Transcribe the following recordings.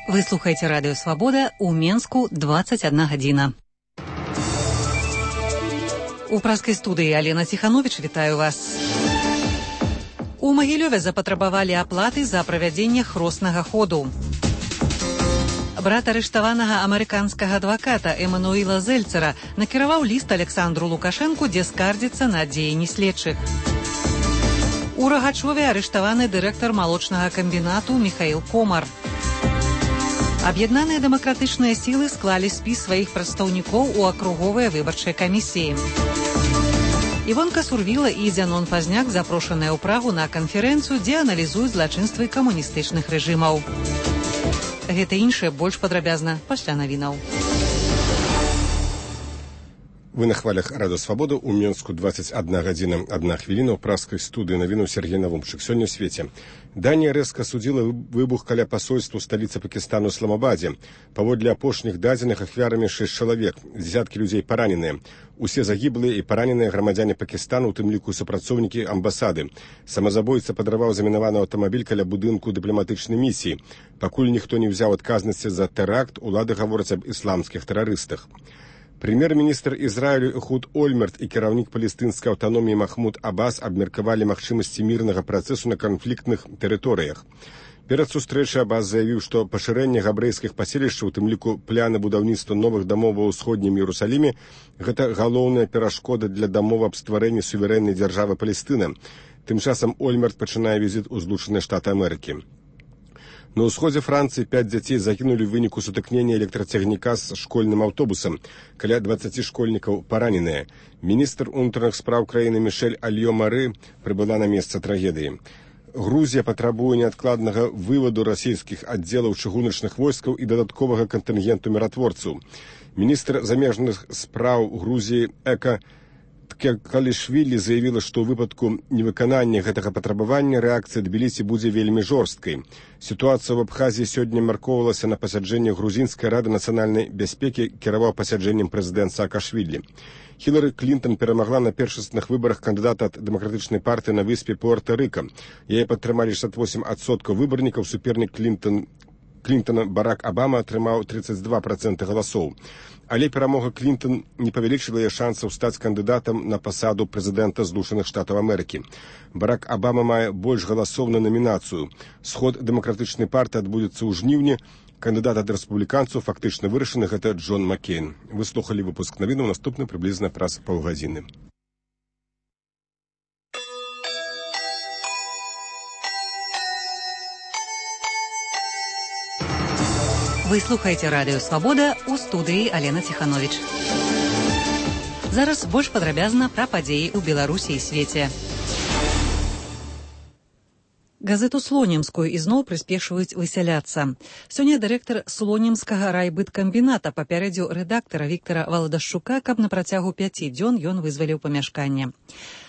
Вы слухаете Радио Свобода, у Менску 21 гадзіна. У праскай студыі Алена Ціхановіч, вітаю вас. У Магілёве запатрабавалі аплаты за правядзенне хроснага ходу. Брат арыштаванага амерыканскага адваката Эмануіла Зельцера накіраваў ліст Александру Лукашэнку, дзе скардзіцца на дзеянні следчых. У Рагачове арыштаваны дырэктар малочнага камбінату Міхаіл Комар. Аб'яднаныя дэмакратычныя сілы склалі спіс сваіх прадстаўнікоў у акруговыя выбарчыя камісіі. Івонка Сурвіла і Зянон Пазняк запрошаныя ў Прагу на канферэнцыю, дзе аналізуюць злачынствы камуністычных рэжымаў. Гэта іншае больш падрабязна пасля навінаў. Вы на хвалях Радио Свобода, у Менску 21 гадзіна 1 хвіліна, у праскай студыі навіну Сергей Навумчык. Сёння ў свеце. Данія рэзка судзіла выбух каля пасольства ў сталіцы Пакістану Ісламабадзе. Паводле апошніх дадзеных ахвярамі 6 чалавек, дзесяткі людзей параненыя. Усе загіблыя і параненыя грамадзяне Пакістану, у тым ліку супрацоўнікі амбасады. Самазабойца падрываў замінаваны аўтамабіль каля будынку дыпламатычнай місіі. Пакуль ніхто не ўзяў адказнасці за тэракт, улады гавораць аб ісламскіх тэрарыстах. Прэм'ер-міністр Ізраілю Эхуд Ольмерт і кіраўнік палестынскай аўтаноміі Махмуд Аббас абмеркавалі магчымасці мірнага працэсу на канфліктных тэрыторыях. Перад сустрэчай Аббас заявіў, што пашырэнне габрэйскіх паселішчаў, у тым ліку пляны будаўніцтва новых дамоў ва ўсходнім Іерусаліме, гэта галоўная перашкода для дамовы аб стварэнні суверэннай дзяржавы Палестына. Тым часам Ольмерт пачынае візіт у Злучаныя Штаты Амерыкі. На ўсходзе Францыі 5 дзяцей загінулі ў выніку сутыкнення электрацягніка з школьным аўтобусам. Каля 20 школьнікаў параненыя. Міністр унутраных спраў краіны Мішэль Альё-Мары прыбыла на месца трагедыі. Грузія патрабуе неадкладнага вываду расійскіх аддзелаў чыгуначных войскаў і дадатковага кантынгенту міратворцаў. Міністр замежных спраў Грузіі Эка Ткалішвілі заявіла, што ў выпадку невыканання гэтага патрабавання рэакцыя Тбілісі будзе вельмі жорсткай. Сітуацыя ў Абхазіі сёння маркоўвалася на пасяджэнні Грузінскай рады нацыянальнай бяспекі, кіраваў пасяджэннем прэзідэнт Саакашвілі. Хілары Клінтон перамагла на першасных выбарах кандыдата ад дэмакратычнай партыі на выспе Пуэрта-Рыка. Яе падтрымалі 68% выбарнікаў, супернік Клінтона Барак Абама атрымаў 32% галасоў. Але перамога Клінтон не павялічыла яе шансаў стаць кандыдатам на пасаду прэзідэнта Злучаных Штатаў Амерыкі. Барак Абама мае больш галасоў на намінацыю. Сход дэмакратычнай партыі адбудзецца ў жніўні. Кандыдат ад рэспубліканцаў фактычна вырашаны, гэта Джон Маккейн. Вы слухалі выпуск навінаў, наступны прыблізна праз паўгадзіны. Вы слухаеце Радыё Свабода, у студыі Алена Ціхановіч. Зараз больш падрабязна пра падзеі ў Беларусі і свеце. Газету Слонімскую ізноў прыспешваюць высяляцца. Сёння дырэктар Слонімскага райбыткамбіната папярэдзіў рэдактара Віктара Валадашчука, каб на працягу 5 дзён ён вызваліў памяшканне.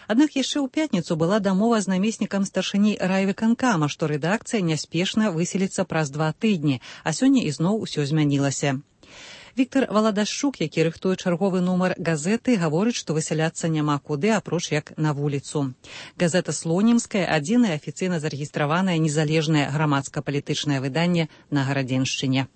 Аднак яшчэ ў пятніцу была дамова з намеснікам старшыні райвыканкама, што рэдакцыя няспешна выселіцца праз 2 тыдні, а сёння ізноў усё змянілася. Віктар Валадашчук, які рыхтуе чарговы нумар газеты, гаворыць, што высяляцца няма куды, апроч як на вуліцу. Газета Слонімская – адзінае афіцыйна зарэгістраванае незалежнае грамадска-палітычнае выданне на Гарадзеншчыне.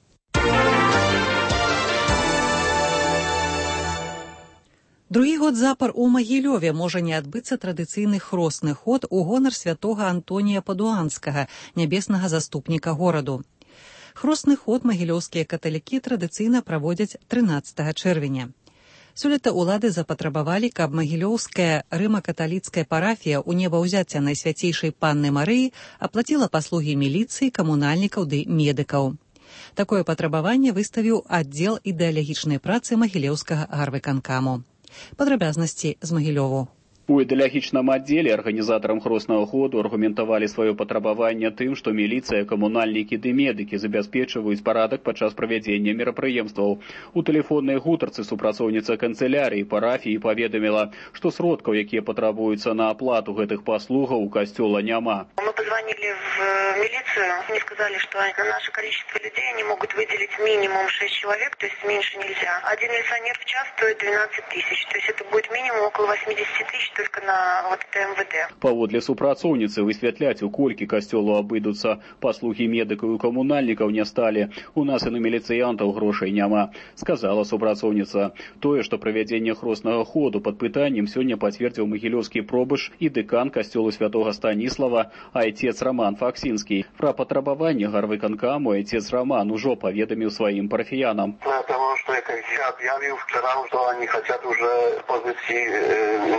Другі год запар у Магілёве можа не адбыцца традыцыйны хросны ход у гонар святога Антонія Падуанскага, нябеснага заступніка гораду. Хросны ход магілёўскія каталікі традыцыйна праводзяць 13 чэрвеня. Сёлета ўлады запатрабавалі, каб магілёўская рыма-каталіцкая парафія ў небаўзяцця Найсвяцейшай Панны Марыі аплаціла паслугі міліцыі, камунальнікаў ды медыкаў. Такое патрабаванне выставіў аддзел ідэалагічнай працы магілёўскага гарвыканкаму. Падрабязнасці з Магілёву. У ідэалагічным аддзеле арганізатарам хроснага ходу аргументавалі сваё патрабаванне тым, што міліцыя, камунальнікі ды медыкі забяспечваюць парадак падчас правядзення мерапрыемстваў. У тэлефоннай гутарцы супрацоўніца канцылярыі парафіі паведаміла, што сродкаў, якія патрабуюцца на аплату гэтых паслугаў, у касцёла няма. Мы позвонили в милицию, они сказали, что на наше количество людей они могут выделить минимум 6 человек, то есть меньше нельзя. Один милиционер в час стоит 12 тысяч, то есть это будет минимум около 80 тысяч только на вот это МВД. Паводле супрацоўніцы высвятляць, у колькі касцёлу абыдуцца паслугі медыкаў і камунальнікаў не сталі. У нас і на міліцыянтаў грошай няма, сказала супрацоўніца. Тое, што правядзенне хроснага ходу пад пытаннем сёння пацвердзіў магілёўскі пробыш і дэкан касцёлу святога Станіслава айцец Роман Факсінскі. Пра патрабаванне гарвыканкаму айцец Роман ужо паведаміў сваім парафіянам. Потому что я объявил вчера, что они хотят уже позиции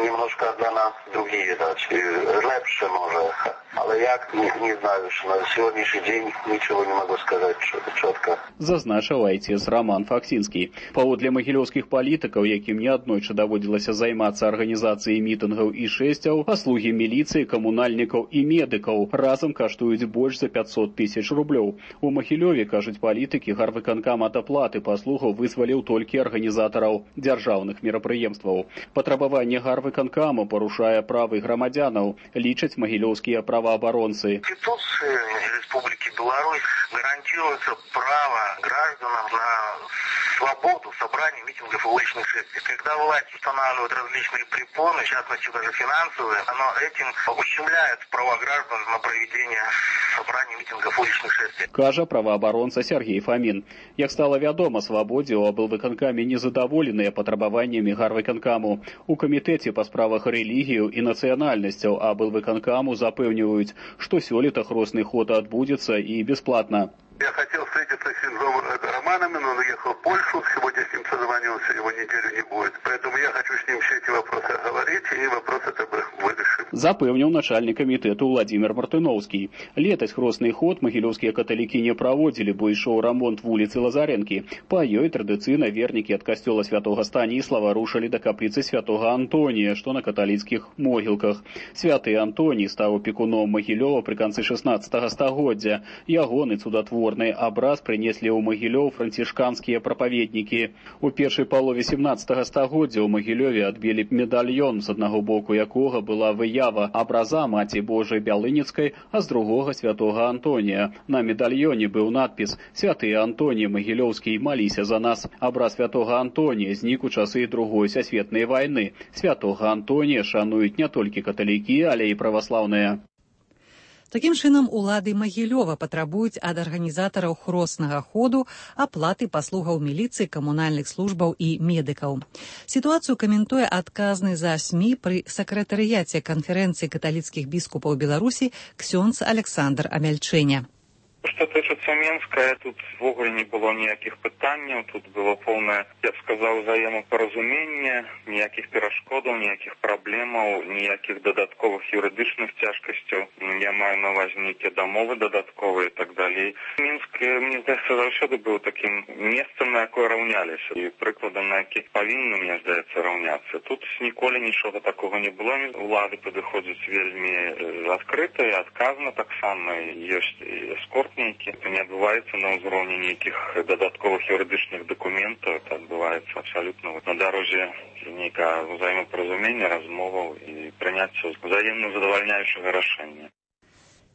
немножко для нас другие дать, лепше может. Але як, не знаю, что на сегодняшний день ничего не могу сказать четко. Зазначыў айцец Роман Факсінскі. Паводле магілёўскіх палітыкаў, якім неаднойчы даводзілася займацца арганізацыяй мітынгаў і шэсцяў, паслугі міліцыі, камунальнікаў і медыкаў разам каштуюць больш за 500 000 рублёў. У Магілёве, кажуць палітыкі, гарвыканкам ад аплаты паслугаў вызваліў толькі арганізатараў дзяржаўных мерапрыемстваў. Патрабаванне гарвыканкаму парушае правы грамадзянаў, лічаць магілёўскія праваабаронцы. Конституция Республики Беларусь гарантируется право гражданам на свободу собраний, митингов и уличных шествий. Когда власть устанавливает различные препоны, в частности даже финансовые, оно этим ущемляет права граждан на проведение собраний, митингов, уличных шествий. Кажа праваабаронца Сергей Фомин. Як стала вядома, свабодзе ў аблвыканкаме незадаволеныя патрабаваннямі гарвыканкаму. У камітэце па справах рэлігію і нацыянальнасцяў аблвыканкаму запэўніваюць, што сёлета хросны ход адбудзецца і бесплатна. Я хотел встретиться с Синзом Романом, но он уехал в Польшу, сегодня с ним созвонился, его неделю не будет. Поэтому я хочу с ним все эти вопросы оговорить, и вопрос это вырашим. Запэўніў начальнік камітэту Владимир Мартыноўскі. Летась хросны ход магілёўскія каталікі не праводзілі, бо ішоў рамонт вуліцы Лазарэнкі. Па ёй традыцыйна вернікі ад касцёла святога Станіслава рушылі да капліцы святога Антонія, што на каталіцкіх могілках. Святы Антоній стаў апекуном Магілёва пры канцы 16 стагоддзя. Ягоны цудатворны абраз прынеслі ў Магілёў францішканскія прапаведнікі. У першай палове 17 стагоддзя ў Магілёве адбілі медальён, з аднаго боку якога была выява абраза Маці Божай Бялыніцкай, а з другога святога Антонія. На медальёне быў надпіс «Святы Антоній Магілёўскі, маліся за нас». Абраз святога Антонія знік у часы Другой сусветнай вайны. Святога Антонія шануюць не толькі каталікі, але і праваслаўныя. Такім чынам, улады Магілёва патрабуюць ад арганізатараў хроснага ходу аплаты паслугаў міліцыі, камунальных службаў і медыкаў. Сітуацыю каментуе адказны за СМІ пры сакратарыяце канферэнцыі каталіцкіх біскупаў Беларусі ксёндз Александр Амяльчэня. Што тычыцца Менска, тут ввогуле не было ніякіх пытанняў, тут было поўнае, я б сказаў, взаемапаразуменне, ніякіх перашкодаў, ніякіх праблемаў, ніякіх дадатковых юрыдычных цяжкасцяў. Я маю на ўвазе нейкія дамовы дадатковыя і так далей. Мінск, мне здаецца, заўсёды быў такім месцам, на якое раўняліся, і прыкладам, на які павінны, мне здаецца, раўняцца. Тут ніколі нічога такога не было. Улады падыходзяць вельмі адкрыта і адказна таксама. Ёсць эскорт нейкі. Это не адбываецца на ўзроўні нейкіх дадатковых юрыдычных дакументаў. Это адбываецца абсалютна на дарозе нейкага ўзаемапаразумення, размоваў і прыняцця ўзаемна задавальняючага рашэння.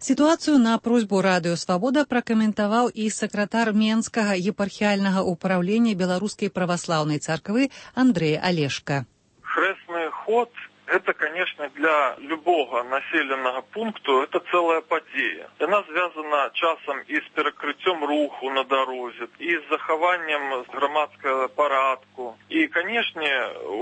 Сітуацыю на просьбу Радыё Свабода пракаментаваў і сакратар Менскага епархіяльнага ўпраўлення Беларускай праваслаўнай царквы Андрэй Алешка. Хрэсны ход это, конечно, для любого населенного пункту это целая подея. Она связана часом и с перекрытием руху на дороге, и с захаванием громадского порядку. И, конечно,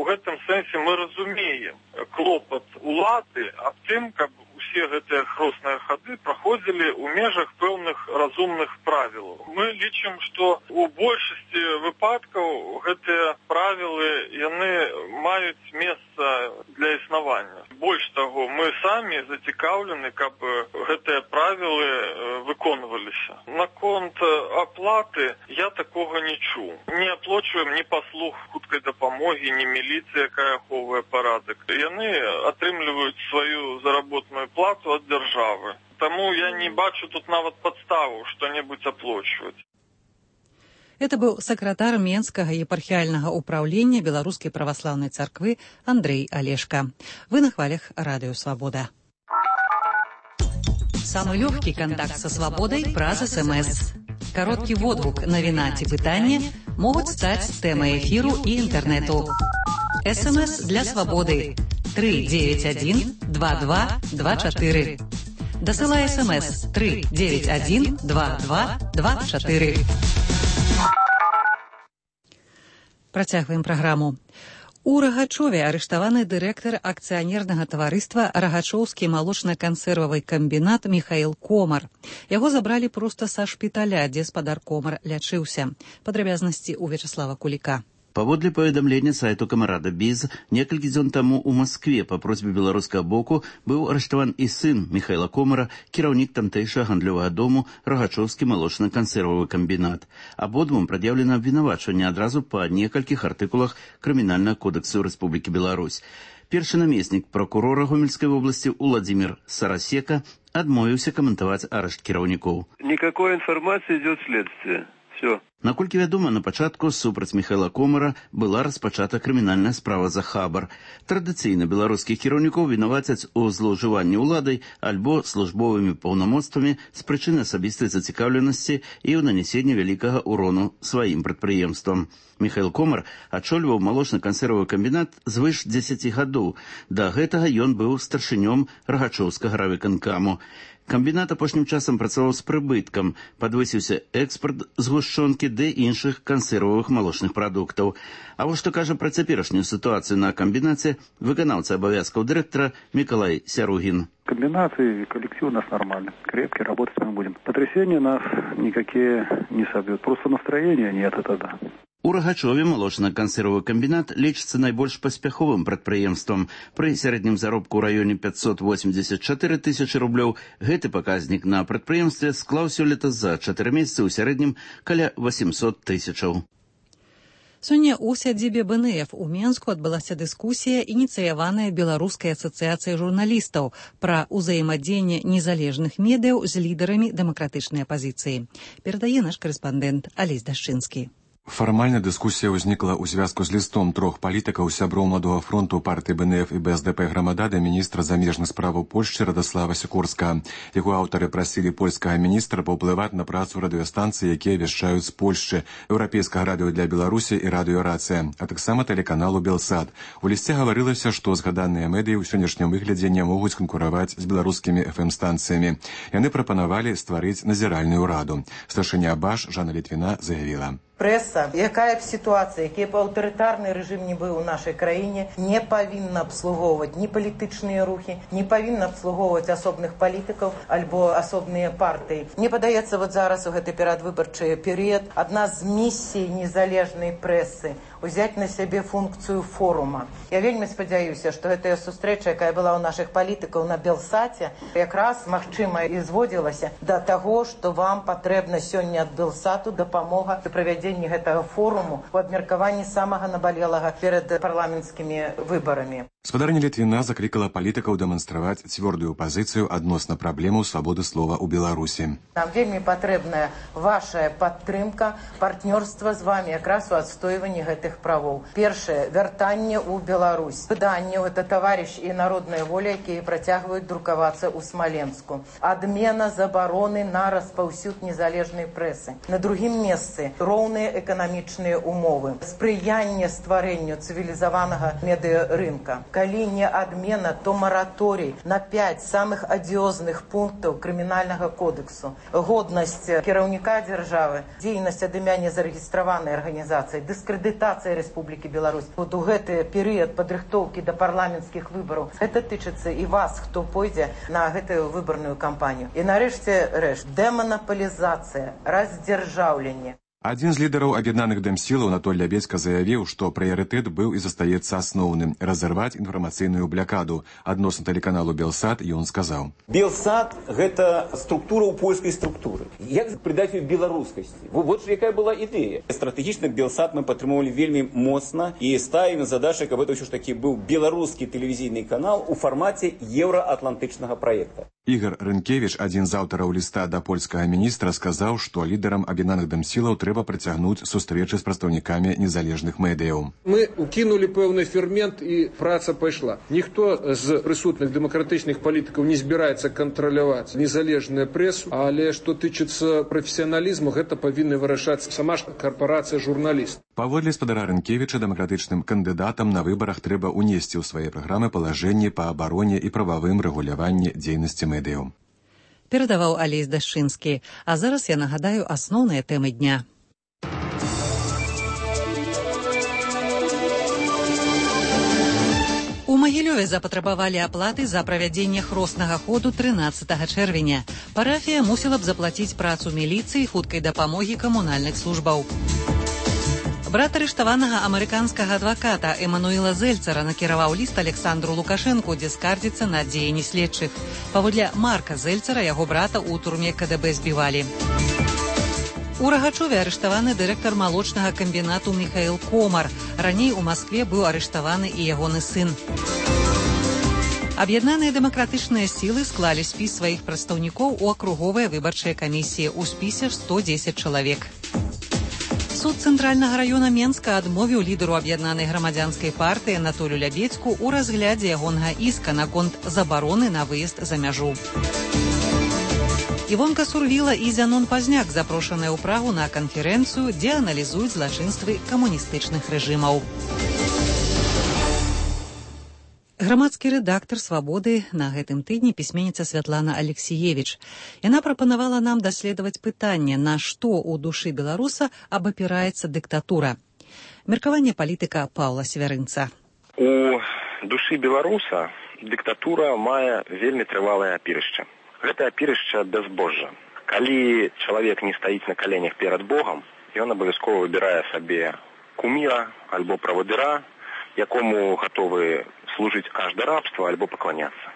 в этом смысле мы разумеем клопот улады об тем, как все эти хросныя хады праходзілі ў межах пэўных разумных правілаў. Мы лічым, што у большасці выпадкаў гэтыя правілы яны маюць месца для існавання. Больш таго, мы самі зацікаўлены, каб гэтыя правілы выконваліся. Наконт аплаты я такога не чуў. Не аплачваем ні паслуг хуткай дапамогі, ні міліцыя, якая ахоўвае парадак. Яны атрымліваюць сваю заработную плату от державы. Тому я не бачу тут нават подставу что-нибудь оплачивать. Это был сакратар Менскага епархіяльнага ўпраўлення Беларускай праваслаўнай царквы Андрэй Алешка. Вы на хвалях Радио Свобода. Самый легкий контакт со свободой праз СМС. Короткий водгук, навіна ці пытанне могуць стаць тэмай эфіру і інтэрнэту. СМС для свободы. 391 2224. Дасылай смс 391 2224. Працягваем праграму. У Рагачове арыштаваны дырэктар акцыянернага таварыства «Рагачоўскі малочна-кансервавы камбінат» Міхаіл Комар. Яго забралі проста са шпіталя, дзе спадар Комар лячыўся. Падрабязнасці ў Вячаслава Куліка. Паводле паведамлення сайту Камарада Біз, некалькі дзён таму ў Маскве па просьбе беларускага боку быў арыштаван і сын Міхаіла Комара, кіраўнік тамтэйшага гандлёвага дому «Рагачоўскі малочна-кансервавы камбінат». Абодвум прад'яўлена абвінавачванне адразу па некалькіх артыкулах Крымінальнага кодексу Рэспублікі Беларусь. Першы намеснік пракурора Гомельскай вобласці Уладзімір Сарасека адмовіўся каментаваць арышт кіраўнікоў. Никакой информации идет следствие. Все. Наколькі вядома, на пачатку супраць Міхаіла Комара была распачата крымінальная справа за хабар. Традыцыйна беларускіх кіраўнікоў вінавацяць у злоўжыванні ўладай альбо службовымі паўнамоцтвамі з прычыны асабістай зацікаўленасці і ў нанясенні вялікага ўрону сваім прадпрыемствам. Міхаіл Комар ачольваў малочна-кансервавы камбінат звыш 10 гадоў. Да гэтага ён быў старшынём Рагачоўскага райвыканкаму. Камбінат апошнім часам працаваў з прыбыткам, падвысіўся экспарт згушчонкі ды іншых кансервавых малочных прадуктаў. А вось што кажа пра цяперашнюю сітуацыю на камбінаце выканаўца абавязкаў дырэктара Миколай Сяругин. Комбинат и коллектив у нас нормальный, крепкий, работать мы будем. Потрясения нас никакие не собьют, просто настроения нет, это да. У Рагачове малочна-кансервавы камбінат лічыцца найбольш паспяховым прадпрыемствам. Пры сярэднім заробку ў раёне 584 тысячы рублёў гэты паказнік на прадпрыемстве склаў сёлета за 4 месяцы ў сярэднім каля 800 тысячаў. Сёння у сядзібе БНФ у Менску адбылася дыскусія, ініцыяваная Беларускай асацыяцыяй журналістаў пра ўзаемадзеянне незалежных медыяў з лідарамі дэмакратычнай апазіцыі. Перадае наш карэспандэнт Алесь Дашчынскі. Фармальна дыскусія ўзнікла ў звязку з лістом трох палітыкаў сяброў Маладога фронту партыі БНФ і БСДП Грамада да міністра замежных справаў Польшчы Радаслава Сікорскага. Яго аўтары прасілі польскага міністра паўплываць на працу радыёстанцый, якія вяшчаюць з Польшчы, еўрапейскага радыё для Беларусі і радыёрацыя, а таксама тэлеканалу Белсат. У лісце гаварылася, што згаданыя медыі ў сённяшнім выглядзе не могуць канкураваць з беларускімі FM-станцыямі. Яны прапанавалі стварыць назіральную раду. Старшыня БАШ Жанна Літвіна заявіла: Прэса, якая б сітуацыя, які б аўтарытарны рэжым не быў у нашай краіне, не павінна абслугоўваць ні палітычныя рухі, не павінна абслугоўваць асобных палітыкаў альбо асобныя партыі. Мне падаецца, вот зараз у гэты перадвыбарчы перыяд адна з місій незалежнай прэсы узяць на сябе функцыю форума. Я вельмі спадзяюся, што гэтая сустрэча, якая была ў нашых палітыкаў на Белсаце, якраз, магчыма, і зводзілася да таго, што вам патрэбна сёння ад Белсату дапамога пры правядзенні гэтага форуму у абмеркаванні самага набалелага перад парламенцкімі выбарамі. Спадарня Літвіна заклікала палітыкаў дэманстраваць цвёрдую пазіцыю адносна праблемаў свабоды слова ў Беларусі. Нам вельмі патрэбная ваша падтрымка, партнёрства з вами якраз у адстойванні гэтых правоў. Першае, вяртанне ў Беларусь. Выданняў, это «Таварыш» і «Народная воля», якія працягваюць друкавацца ў Смаленску. Адмена забароны на распаўсюд незалежнай прэсы. На другім месцы роўныя эканамічныя умовы. Спрыянне стварэнню цывілізаванага медыарынка. Калі не адмена, то мараторый на 5 самых адыёзных пунктаў крымінальнага кодексу. Годнасць кіраўніка дзяржавы, дзейнасць ад імя незарэгістраванай арганізацыі, дыскрэдытацыя Рэспублікі Беларусь. Вот у гэты перыяд падрыхтоўкі да парламенцкіх выбараў. Гэта тычыцца і вас, хто пойдзе на гэтую выбарную кампанію. І нарэшце дэманаполізацыя, раздзяржаўленне. Адзін з лідараў аб'яднаных дэмсілаў Анатоль Лябедзька заявіў, што прыярытэт быў і застаецца асноўным – разарваць інфармацыйную блякаду. Адносна тэлеканалу Белсат ён сказаў: Белсат – гэта структура ў польскай структуры. Як придаць ёй беларускасці? Вот якая была ідэя. Стратэгічна Белсат мы падтрымоўвалі вельмі моцна і ставім задачу, каб гэта ўсё ж такі быў беларускі тэлевізійны канал у фармаце еўраатлантычнага праекта. Ігор Рынкевіч, адзін з аўтараў ліста да польскага міністра, сказаў, што лідарам аб'яднаных дэмсілаў трэба працягнуць сустрэчы з прадстаўнікамі незалежных медыяў. Мы укінулі пэўны фермент і праца пайшла. Ніхто з прысутных дэмакратычных палітыкаў не збіраецца кантраляваць незалежную прэсу, але што тычыцца прафесіяналізму, гэта павінна вырашаць сама ж карпорацыя журналістаў. Паводле спадара Рынкевіча, дэмакратычным кандыдатам на выбарах трэба ўнесці ў свае праграмы палажэнні па абароне і прававым рэгуляванні дзейнасці медыяў. Перадаваў Алесь Дашчынскі. А зараз я нагадаю асноўныя тэмы дня. У Магілёве запатрабавалі аплаты за правядзенне хроснага ходу 13 чэрвеня. Парафія мусіла б заплаціць працу міліцыі і хуткай дапамогі камунальных службаў. Брат арыштаванага амерыканскага адваката Эмануэла Зельцара накіраваў ліст Александру Лукашэнку, дзе скардзіцца на дзеянні следчых. Паводле Марка Зельцара, яго брата ў турме КДБ збівалі. У Рагачове арыштаваны дырэктар малочнага камбінату Міхаіл Комар. Раней у Маскве быў арыштаваны і ягоны сын. Аб'яднаныя дэмакратычныя сілы склалі спіс сваіх прадстаўнікоў у акруговыя выбарчыя камісіі. У спісе 110 чалавек. Суд Цэнтральнага раёна Менска адмовіў лідару аб'яднанай грамадзянскай партыі Анатолію Лябедзьку ў разглядзе ягонага іска наконт забароны на выезд за мяжу. Івонка Сурвіла і Зянон Пазняк запрошаныя ў Прагу на канферэнцыю, дзе аналізуюць злачынствы камуністычных рэжымаў. Грамадскі рэдактар «Свабоды» на гэтым тыдні пісьменніца Святлана Алексіевіч. Яна прапанавала нам даследаваць пытанне, на што ў душы беларуса абапіраецца дыктатура. Меркаванне палітыка Паўла Свярынца. У душы беларуса дыктатура мае вельмі трывалае апірышча. Гэта апірышча да збожжа. Калі чалавек не стаіць на каленях перад Богам, ён абавязкова выбірае сабе куміра альбо правадыра, якому гатовы служыць аж да рабства альбо пакланяцца.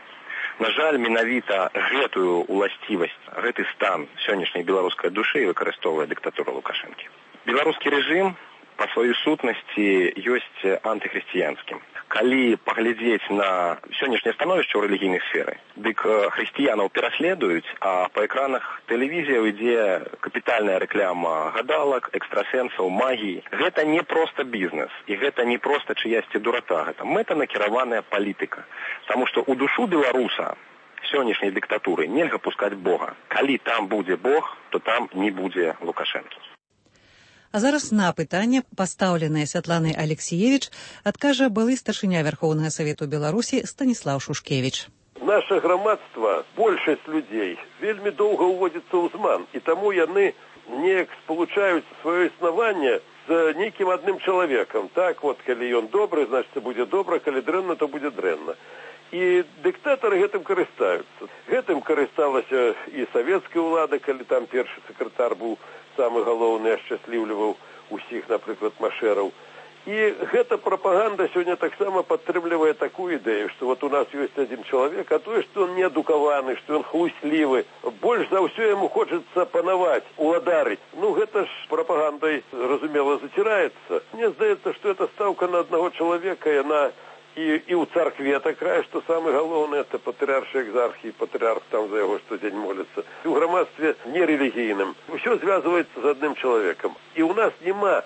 На жаль, менавіта гэтую уласцівасць, гэты стан сённяшняй беларускай душы выкарыстоўвае дыктатура Лукашэнкі. Беларускі рэжым па сваёй сутнасці ёсць антыхрысціянскім. Калі паглядзець на сённяшняе становішча ў рэлігійнай сферы, дык хрысціянаў пераследуюць, а па экранах тэлевізіяў ідзе капітальная рэкляма гадалак, экстрасэнсаў, магіі. Гэта не проста бізнес, і гэта не проста чыясьці дурата, гэта мэтанакіраваная палітыка. Таму што ў душу беларуса сённяшняй дыктатуры нельга пускаць Бога. Калі там будзе Бог, то там не будзе Лукашэнкі. А зараз на пытанне, пастаўленае Святланай Алексіевіч, адкажа былы старшыня Вярхоўнага Савету Беларусі Станіслаў Шушкевіч. Наша грамадства, большасць людзей, вельмі доўга ўводзіцца ў зман, і таму яны неяк спалучаюць сваё існаванне з нейкім адным чалавекам. Так, вот, калі ён добры, значыць, будзе добра, калі дрэнна, то будзе дрэнна. І дыктатары гэтым карыстаюцца. Гэтым карысталася і савецкая ўлада, калі там першы сакратар быў самы галоўны, ашчасліўліваў усіх, напрыклад, машэраў. І гэта прапаганда сёння таксама падтрымлівае такую ідэю, што вот у нас ёсць адзін чалавек, а тое, што ён неадукаваны, што ён хлуслівы, больш за ўсё яму хочацца панаваць, уладарыць. Ну, гэта ж прапагандай, разумела, заціраецца. Мне здаецца, што эта стаўка на аднаго чалавека, яна і ў царкве такая, што самы галоўны это патрыаршы экзархі, патрыарх там за яго штодзень моліцца. У грамадстве нерэлігійным. Усё звязваецца з адным чалавекам. І ў нас няма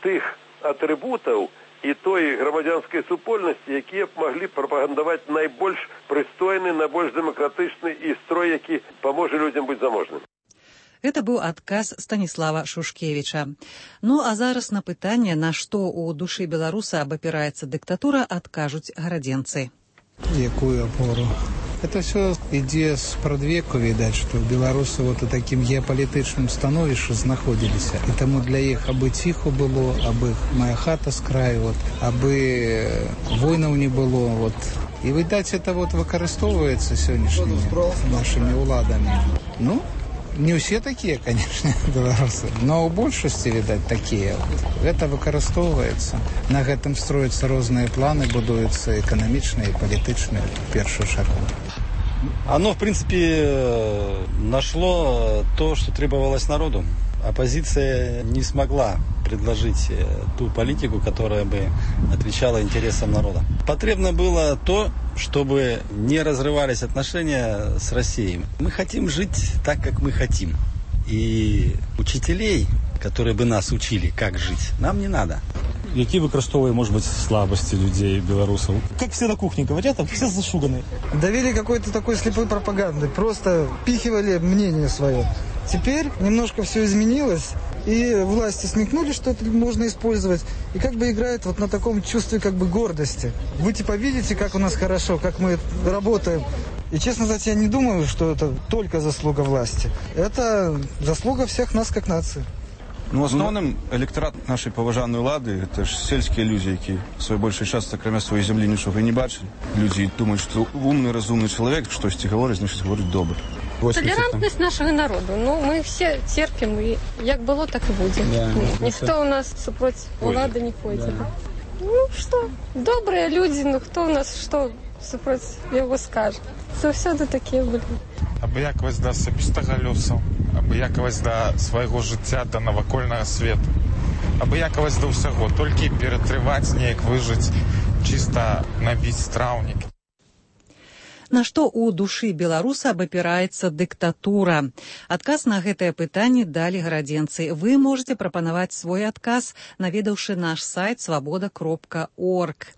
тых атрыбутаў і той грамадзянскай супольнасці, якія б маглі прапагандаваць найбольш прыстойны, найбольш дэмакратычны і строй, які паможа людзям быць заможным. Гэта быў адказ Станіслава Шушкевіча. Ну, а зараз на пытанне, на што ў душы беларуса абапіраецца дыктатура, адкажуць гарадзенцы. Якую апору? Это все ідзе з прадвеку, відаць, што беларусы вот у такім геапалітычным становішчы знаходзіліся. І таму для іх абы ціху было, абы моя хата з краю, вот, абы войнаў не было. Вот. І, відаць, это вот выкарыстоўваецца сённяшнімі нашымі ўладамі. Ну, не ўсе такія, конечно, беларусы, но ў большасці, відаць, такія. Гэта выкарыстоўваецца. На гэтым строяцца розныя планы, будуюцца эканамічныя і палітычныя, в першую чаргу. Оно, в принципе, нашло то, что требовалось народу. Оппозиция не смогла предложить ту политику, которая бы отвечала интересам народа. Потребно было то, чтобы не разрывались отношения с Россией. Мы хотим жить так, как мы хотим. И учителей, которые бы нас учили, как жить, нам не надо. Які використовує, може бути, слабості людей, білорусів? Як всі на кухні говорять, все зашуганы. Давили какой-то такой слепой пропагандой. Просто впихивали мнение свое. Теперь немножко все изменилось, и власти смекнули, что это можно использовать, и как бы играет вот на таком чувстве как бы гордости. Вы типа видите, как у нас хорошо, как мы работаем. И, честно сказать, я не думаю, что это только заслуга власти. Это заслуга всех нас как нации. Ну, основным электорат нашей поважанной улады – это ж сельские люди, які свой больший час, кроме своей земли, нічого не бачили. Люди думают, что умный, разумный человек, щось говорить, значит, говорить добре. Толерантность нашого народу. Ну, ми всі терпимо, і як було, так і буде. Да, ніхто у нас супроти влади не ходить. Да. Ну, що, добрі люди, ну, хто у нас, що супроти його скаже. Завсёды такі були. Абыякавасць да асабістага лёсу, абыякавасць да свайго жыцця, да навакольнага свету. Абыякавасць да ўсяго, толькі ператрываць неяк, выжыць, чыста набіць страўнік. На што ў душы беларуса абапіраецца дыктатура? Адказ на гэтае пытанне далі гарадзенцы. Вы можете прапанаваць свой адказ, наведаўшы наш сайт свабода.орг.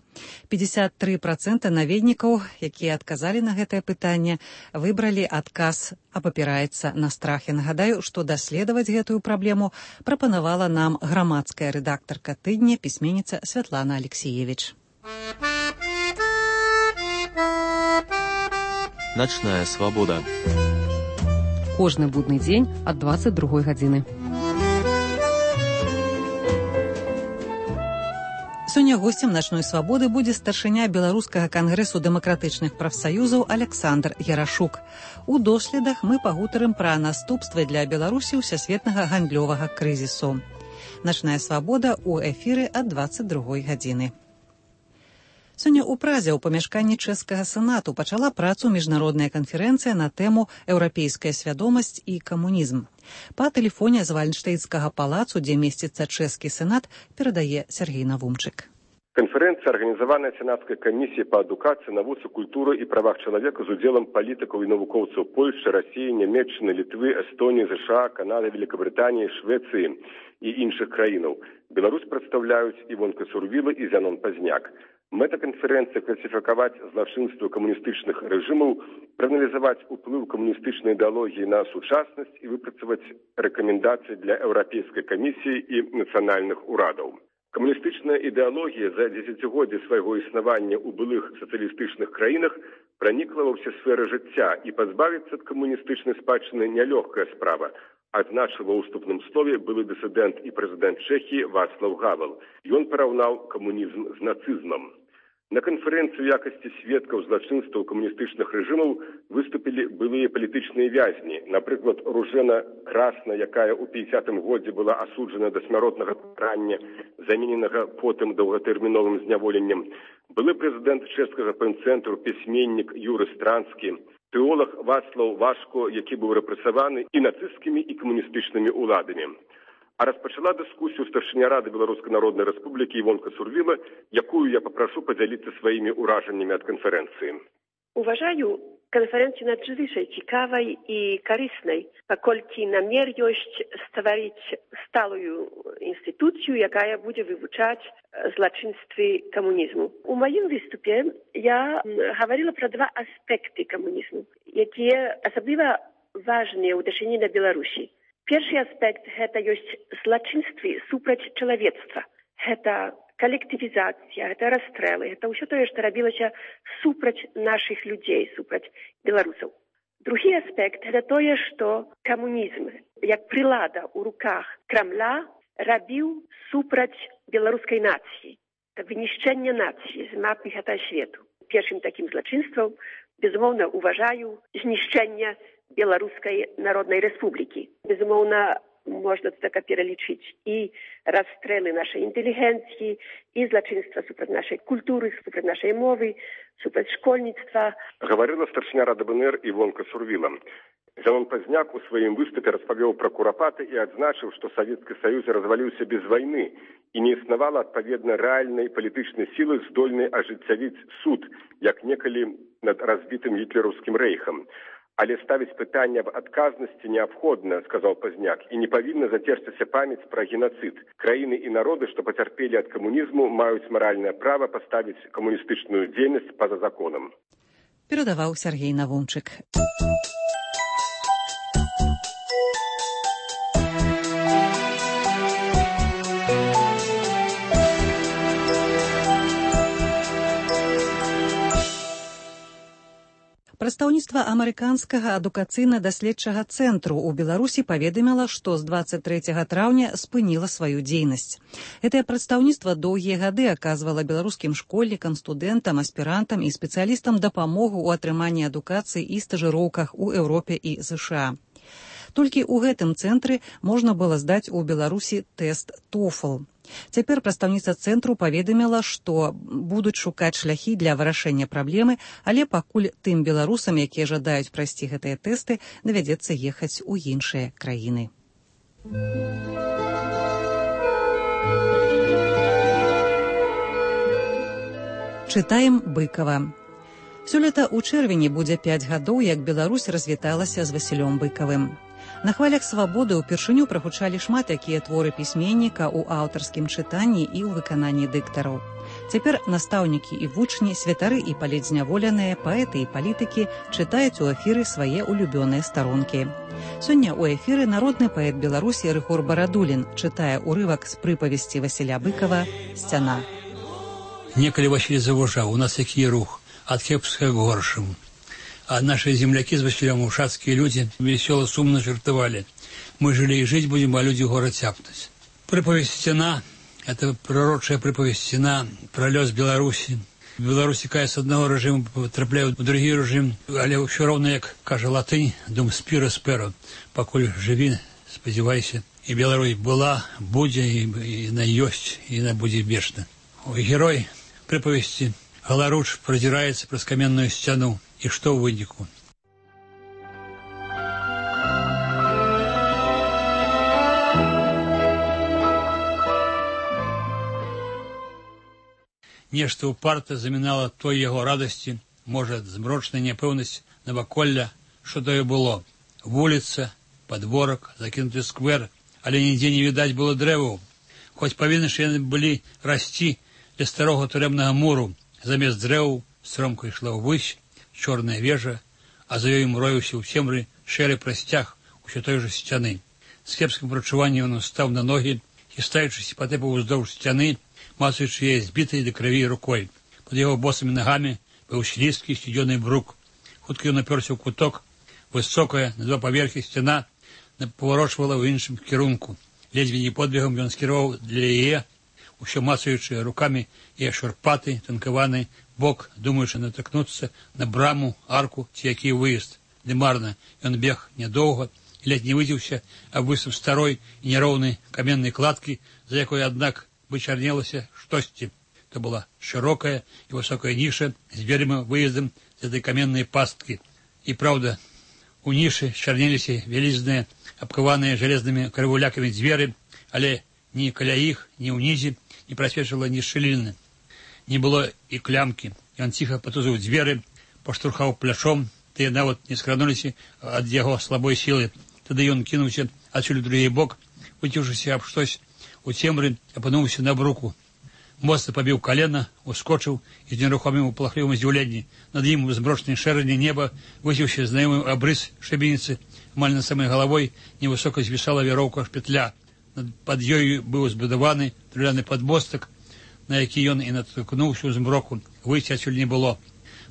53% наведнікаў, якія адказалі на гэтае пытанне, выбралі адказ «Абапіраецца на страхе». Нагадаю, што даследаваць гэтую праблему прапанавала нам грамадская рэдактарка тыдня, пісьменніца Святлана Алексеевич. Начная свабода. Кожны будны дзень ад 22 гадзіны. Сёння госцем начной свабоды будзе старшыня беларускага кангрэсу дэмакратычных прафсаюзаў Александр Ярашук. У доследах мы пагутарым пра наступствы для Беларусі ўсесветнага гандлёвага крызісу. Начная свабода ў эфіры ад 22 гадзіны. Сёння ў Празе ў памяшканні чэшскага сенату пачала працу міжнародная канферэнцыя на тэму «Еўрапейская свядомасць і камунізм». Па тэлефоне з Вальнштейнскага палацу, дзе месціцца чэшскі сенат, перадае Сергей Навумчык. Конференция, организованная Сенатской комиссией по адукации, навуцы, культуры и правах человека с удзелам политиков и навукоўцаў Польши, России, Нямецчыны, Литвы, Эстонии, США, Канады, Великобритании, Швеции и іншых краінаў. Беларусь представляюць Івонка Сурвіла и Зянон Пазняк. Мэта канферэнцыі класіфікаваць злачынствы камуністычных рэжымаў, прааналізаваць уплыў камуністычнай ідэалогіі на сучаснасць і выпрацаваць рэкамендацыі для Еўрапейскай камісіі і нацыянальных урадаў. Камуністычная ідэалогія за дзесяцігоддзе свайго існавання ў былых сацыялістычных краінах пранікла ва ўсе сферы жыцця, і пазбавіцца ад камуністычнай спадчыны нялёгкая справа, адзначыў ва ўступным слове былы дысідэнт і прэзідэнт Чэхіі Вацлаў Гавел. Ён параўнаў камунізм з нацызмам. На канферэнцыі ў якасці сведкаў злачынстваў камуністычных рэжымаў выступілі былыя палітычныя вязні, напрыклад, Ружена Красна, якая ў 50-м годзе была асуджана да смяротнага пакарання, замененага потым доўгатэрміновым зняволеннем, былы прэзідэнт чэшскага пенцэнтру, пісьменнік Юры Странскі, тэолог Вацлаў Вашко, які быў рэпрэсаваны і нацысцкімі, і камуністычнымі ўладамі. А распачала дыскусію старшыня Рады Беларускай Народнай Рэспублікі Івонка Сурвіла, якую я попрошу подзяліцца сваімі ўражаннямі ад канферэнцыі. Uważаю konferencję nadzwyczaj ciekawej i korzystnej, pokolki namiar jest stworzyć stałą instytucję, jaka będzie wywuczać zloczyństwy komunizmu. U moim wystupie ja mówiła про dwa aspekty komunizmu, jakie особливо ważne w odniesieniu do Białorusi. Pierwszy aspekt to jest zloczyństwo супроць człowiectwa. To коллективизация, это расстрелы, это все то, что робилось супроць наших людей, супроць белорусов. Другий аспект это то, что коммунизм, как прилада у руках Кремля, робил супроць белорусской нации. Это вынищение нации з мапы этого света. Pierwszym takim zloczyństwem, безумовно, уважаю знищення Белорусской Народной Республики. Безумовно, można to tak перелічыць i расстрелы нашей интеллигенции, и злочинства супроць нашей культуры, супроць нашей мовы, супроць школьництва. Говорила старшыня Рады БНР Івонка Сурвіла. Зянон Пазняк у сваім выступе распавёў пра курапаты і адзначыў, што Савецкі Саюз разваліўся без вайны і не існавала адпаведна рэальнай палітычнай сілы, здольнай ажыццявіць суд, як некалі над разбітым гітлераўскім рэйхам. Але ставіць пытанне аб адказнасці неабходна, сказаў Пазняк, і не павінна зацерціся памяць пра генацыд. Краіны і народы, што пацярпелі ад камунізму, маюць маральнае права паставіць камуністычную дзейнасць па-за законам. Перадаваў Сергей Навумчык. Прадстаўніцтва амерыканскага адукацыйна-даследчага цэнтру ў Беларусі паведаміла, што з 23 траўня спыніла сваю дзейнасць. Гэтае прадстаўніцтва доўгія гады аказвала беларускім школьнікам, студэнтам, аспірантам і спецыялістам дапамогу ў атрыманні адукацыі і стажыроўках у Еўропе і США. Толькі ў гэтым цэнтры можна было здаць у Беларусі тэст TOEFL. Цяпер прадстаўніца цэнтру паведаміла, што будуць шукаць шляхі для вырашэння праблемы, але пакуль тым беларусам, якія жадаюць прайсці гэтыя тэсты, давядзецца ехаць у іншыя краіны. Чытаем Быкава. Сёлета ў чэрвені будзе 5 гадоў, як Беларусь развіталася з Васілём Быкавым. На хвалях свабоды ўпершыню прагучалі шмат якія творы пісьменніка ў аўтарскім чытанні і ў выкананні дыктараў. Цяпер настаўнікі і вучні, святары і палітзняволеныя, паэты і палітыкі чытаюць у эфіры свае улюбёныя старонкі. Сёння ў эфіры народны паэт Беларусі Рыгор Барадулін чытае ўрывак з прыпавесці Васіля Быкава «Сцяна». Некалі Васіль заважаў, у нас які рух, ад кепскага к горшаму. А наши земляки с Василем ушацкие люди весело, сумно жартовали. Мы жили и жить будем, а люди город тяпнуть. Приповесть «Стена» — это пророчая приповесть «Стена», про лёс Беларуси. В Беларуси, кая с одного режима потрапляют в другий режим, але все равно, как каже латынь, дум спиро сперо, поколь живи, сподівайся. И Беларусь была, буде, и на ёсть, и на буде вечно. Герой приповести Галаруч продирается през каменную стену. И что в вынику? Нешта упарта замінала той яго радасці, можа, змрочная няпэўнасць наваколля, што тое было. Вуліца, падворак, закінуты сквер, але нідзе не відаць было дрэваў. Хоць павінны ж яны былі расці ля старога турэмнага муру, замест дрэваў стромка ішла ўвысь, чорная вежа, а за ёй мроіўся ў цемры шэры прасцяг усё той жа сцяны. З кепскім прачуваннем ён стаў на ногі, хістаючыся патэпаў уздоўж сцяны, мацаючы яе збітай да крыві рукой. Пад яго босымі нагамі быў слізкі сцюдзёны брук. Хутка ён напёрся ў куток, высокая на 2 паверхі сцяна паварочвала ў іншым кірунку. Ледзьве не подбегам ён скіраваў для яе, усё мацаючы рукамі яе шурпаты, танкаваны бок, думаючы натыкнуцца на браму, арку ці які выезд. Ды марна, ён бег нядоўга і ледзь не выдзіўся аб выступ старой і няроўнай каменнай кладкі, за якой, аднак, вычарнелася штосьці. То была шырокая і высокая ніша з дзвярыма выездам з этой каменнай пасткі. І праўда, у нішы чарнеліся вялізныя, абкаваныя жалезнымі карвулякамі дзверы, але ні каля іх, ні ўнізе не прасвечвала ні шчыліны. Не было і клямкі. Ён ціха патузыў дзверы, паштурхаў плячом, тыя нават не скрануліся ад яго слабой сілы. Тады ён кінуўся адсюль у другі бок, выціўшыся аб штось у цемры, апынуўся на бруку. Моцна пабіў калена, ускочыў і з нерухомым палахлівым здзіўленні. Над ім у змрочнай шэрані неба высіўся знаёмы абрыс шыбеніцы. Амаль над самай галавой невысока звісала вяроўка петля. Пад ёю быў збудаваны драўляны падмостак, на які ён і натыкнуўся ў змроку. Выйсці адсюль не было.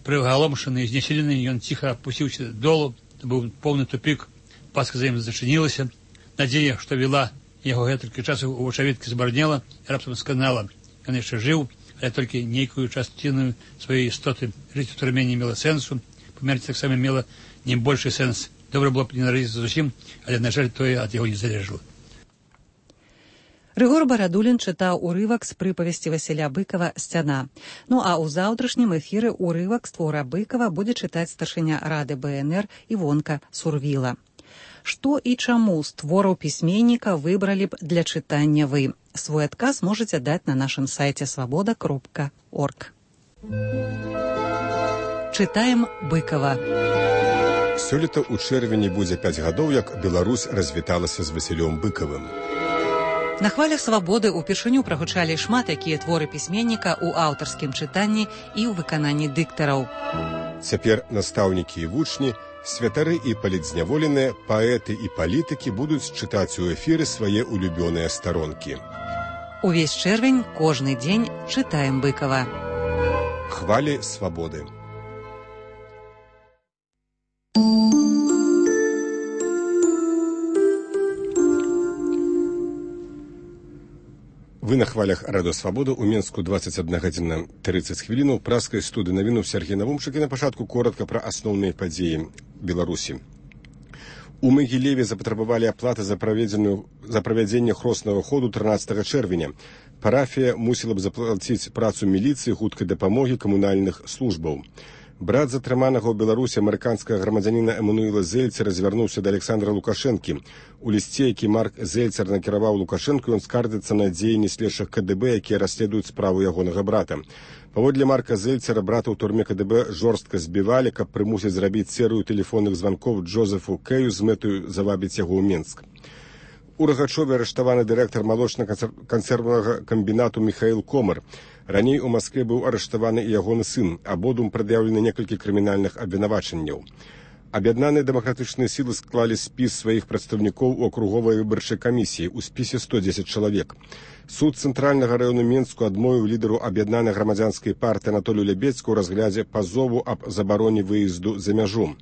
Прыгаломшаны і знесілены, ён ціха апусціўся долу, то быў поўны тупік, паска за ім зачынілася. Надзея, што вела яго гэтулькі часу у вачавіткі збарнела і раптам сканала. Ён яшчэ жыў, але толькі нейкую частіну сваёй істоты. Жыць у турме не мела сэнсу, памерці таксама мела не большы сэнс. Добра было б не нарадзіцца зусім, але, на жаль, тое ад яго не залежала. Рыгор Барадулін чытаў урывак з прыпавесці Васіля Быкава «Сцяна». Ну а ў заўтрашнім эфіры урывак з твора Быкава будзе чытаць старшыня Рады БНР Івонка Сурвіла. Што і чаму з твораў пісьменніка выбралі б для чытання вы? Свой адказ можаце даць на нашым сайце свабода.орг. Чытаем Быкава. Сёлета ў чэрвені будзе 5 гадоў, як Беларусь развіталася з Васілём Быкавым. На хвалях свабоды ўпершыню прагучалі шмат якія творы пісьменніка ў аўтарскім чытанні і ў выкананні дыктараў. Цяпер настаўнікі і вучні, святары і палітзняволеныя, паэты і палітыкі будуць чытаць у эфіры свае улюбёныя старонкі. Увесь чэрвень, кожны дзень чытаем Быкава. Хвалі свабоды. Вы на хвалях Радио Свобода. У Менску 21 гадзіна 30 хвілінаў. Праскай студыі навіну Сергей Навумчык. І на пачатку коротка пра асноўныя падзеі Беларусі. У Магілеве запатрабавалі аплаты за правядзенне хроснага ходу 13 чэрвеня. Парафія мусіла б заплаціць працу міліцыі, хуткай дапамогі, камунальных службаў. Брат затрыманага ў Беларусі амерыканскага грамадзяніна Эммануэла Зельцера звярнуўся да Александра Лукашэнкі. У лісце, які Марк Зельцер накіраваў Лукашэнку, ён скардзіцца на дзеянні следчых КДБ, якія расследуюць справу ягонага брата. Паводле Марка Зельцера, брата ў турме КДБ жорстка збівалі, каб прымусіць зрабіць серыю тэлефонных званкоў Джозефу Кэю з мэтаю завабіць яго ў Менск. У Рагачове арыштаваны дырэктар малочна-кансервнага камбінату Михаил Комар. Раней у Маскве быў арыштаваны і ягоны сын. Абодвум прад'яўлены некалькі крымінальных абвінавачанняў. Аб'яднаныя дэмакратычныя сілы склалі спіс сваіх прадстаўнікоў у акруговай выбарчай камісіі. У спісе 110 чалавек. Суд цэнтральнага раёну Менску адмовіў лідару аб'яднанай грамадзянскай партыі Анатолію Лябедзьку ў разглядзе пазову аб забароне выезду за мяжу.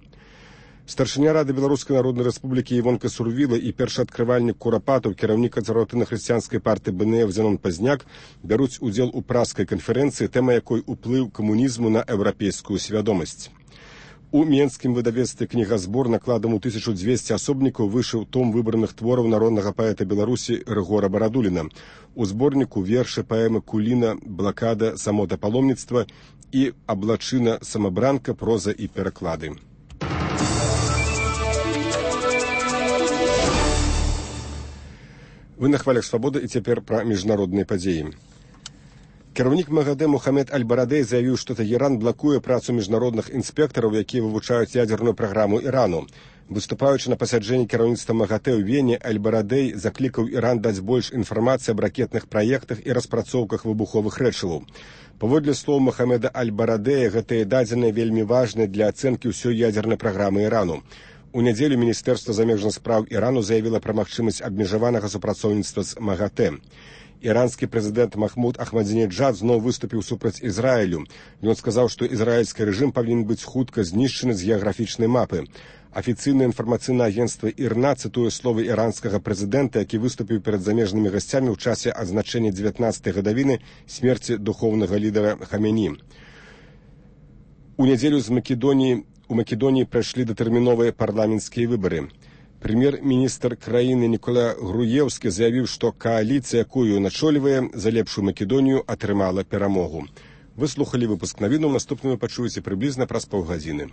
Старшыня Рады Беларускай Народнай Рэспублікі Івонка Сурвіла і першаадкрывальнік Курапатаў, кіраўнік кансерватыўна-хрысціянскай партыі БНФ Зенон Пазняк бяруць удзел у праскай канферэнцыі, тэма якой уплыў камунізму на еўрапейскую свядомасць. У менскім выдавецтве кнігазбор накладам у 1200 асобнікаў выйшаў том выбраных твораў народнага паэта Беларусі Рыгора Барадуліна. У зборніку вершы паэмы Куліна, блакада, самота паломніцтва і аблачына самабранка, проза і пераклады. Вы на хвалях Свободы і цяпер пра міжнародныя падзеі. Кіраўнік МАГАТЭ Мухаммед Аль-Барадэй заявіў, што Тэгеран блакуе працу міжнародных інспектараў, якія вывучаюць ядзерную праграму Ірану. Выступаючы на пасяджэнні кіраўніцтва МАГАТЭ ў Вене, Аль-Барадэй заклікаў Іран даць больш інфармацыі аб ракетных праектах і распрацоўках выбуховых рэчываў. Паводле слоў Мухаммеда Аль-Барадэя, гэтыя дадзеныя вельмі важныя для ацэнкі ўсёй ядзернай праграмы Ірану. У нядзелю Міністэрства замежных спраў Ірану заявіла пра магчымасць абмежаванага супрацоўніцтва з МАГАТЭ. Іранскі прэзідэнт Махмуд Ахмадзінеджад зноў выступіў супраць Ізраілю. Ён сказаў, што ізраільскі рэжым павінен быць хутка знішчаны з геаграфічнай мапы. Афіцыйнае інфармацыйнае агенцтва ІРНА цытуе словы іранскага прэзідэнта, які выступіў перад замежнымі гасцямі ў часе адзначэння 19-й гадавіны смерці духоўнага лідара Хаменеі. У нядзелю у Македоніі прайшлі датэрміновыя парламенцкія выбары. Прэм'ер-міністр краіны Нікола Груеўскі заявіў, што кааліцыя, якую начолівае, за лепшую Македонію атрымала перамогу. Выслухалі выпуск навінаў, наступны вы пачуеце прыблізна праз паўгадзіны.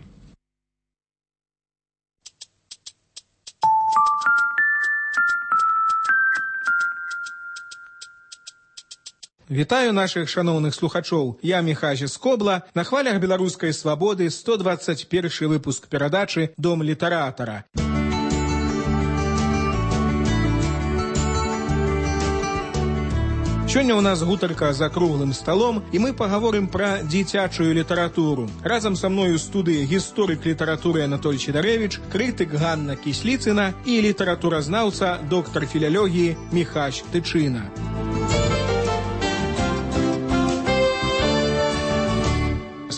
Вітаю нашых шаноўных слухачоў. Я Міхась Скобла. На хвалях Беларускай Свабоды 121 выпуск перадачы «Дом літаратара». Сёння ў нас гутарка за круглым сталом, і мы пагаворым пра дзіцячую літаратуру. Разам са мною ў студыі гісторык літаратуры Анатоль Чедарэвіч, крытык Ганна Кісліцына і літаратуразнаўца, доктар філялогіі Міхась Тычына.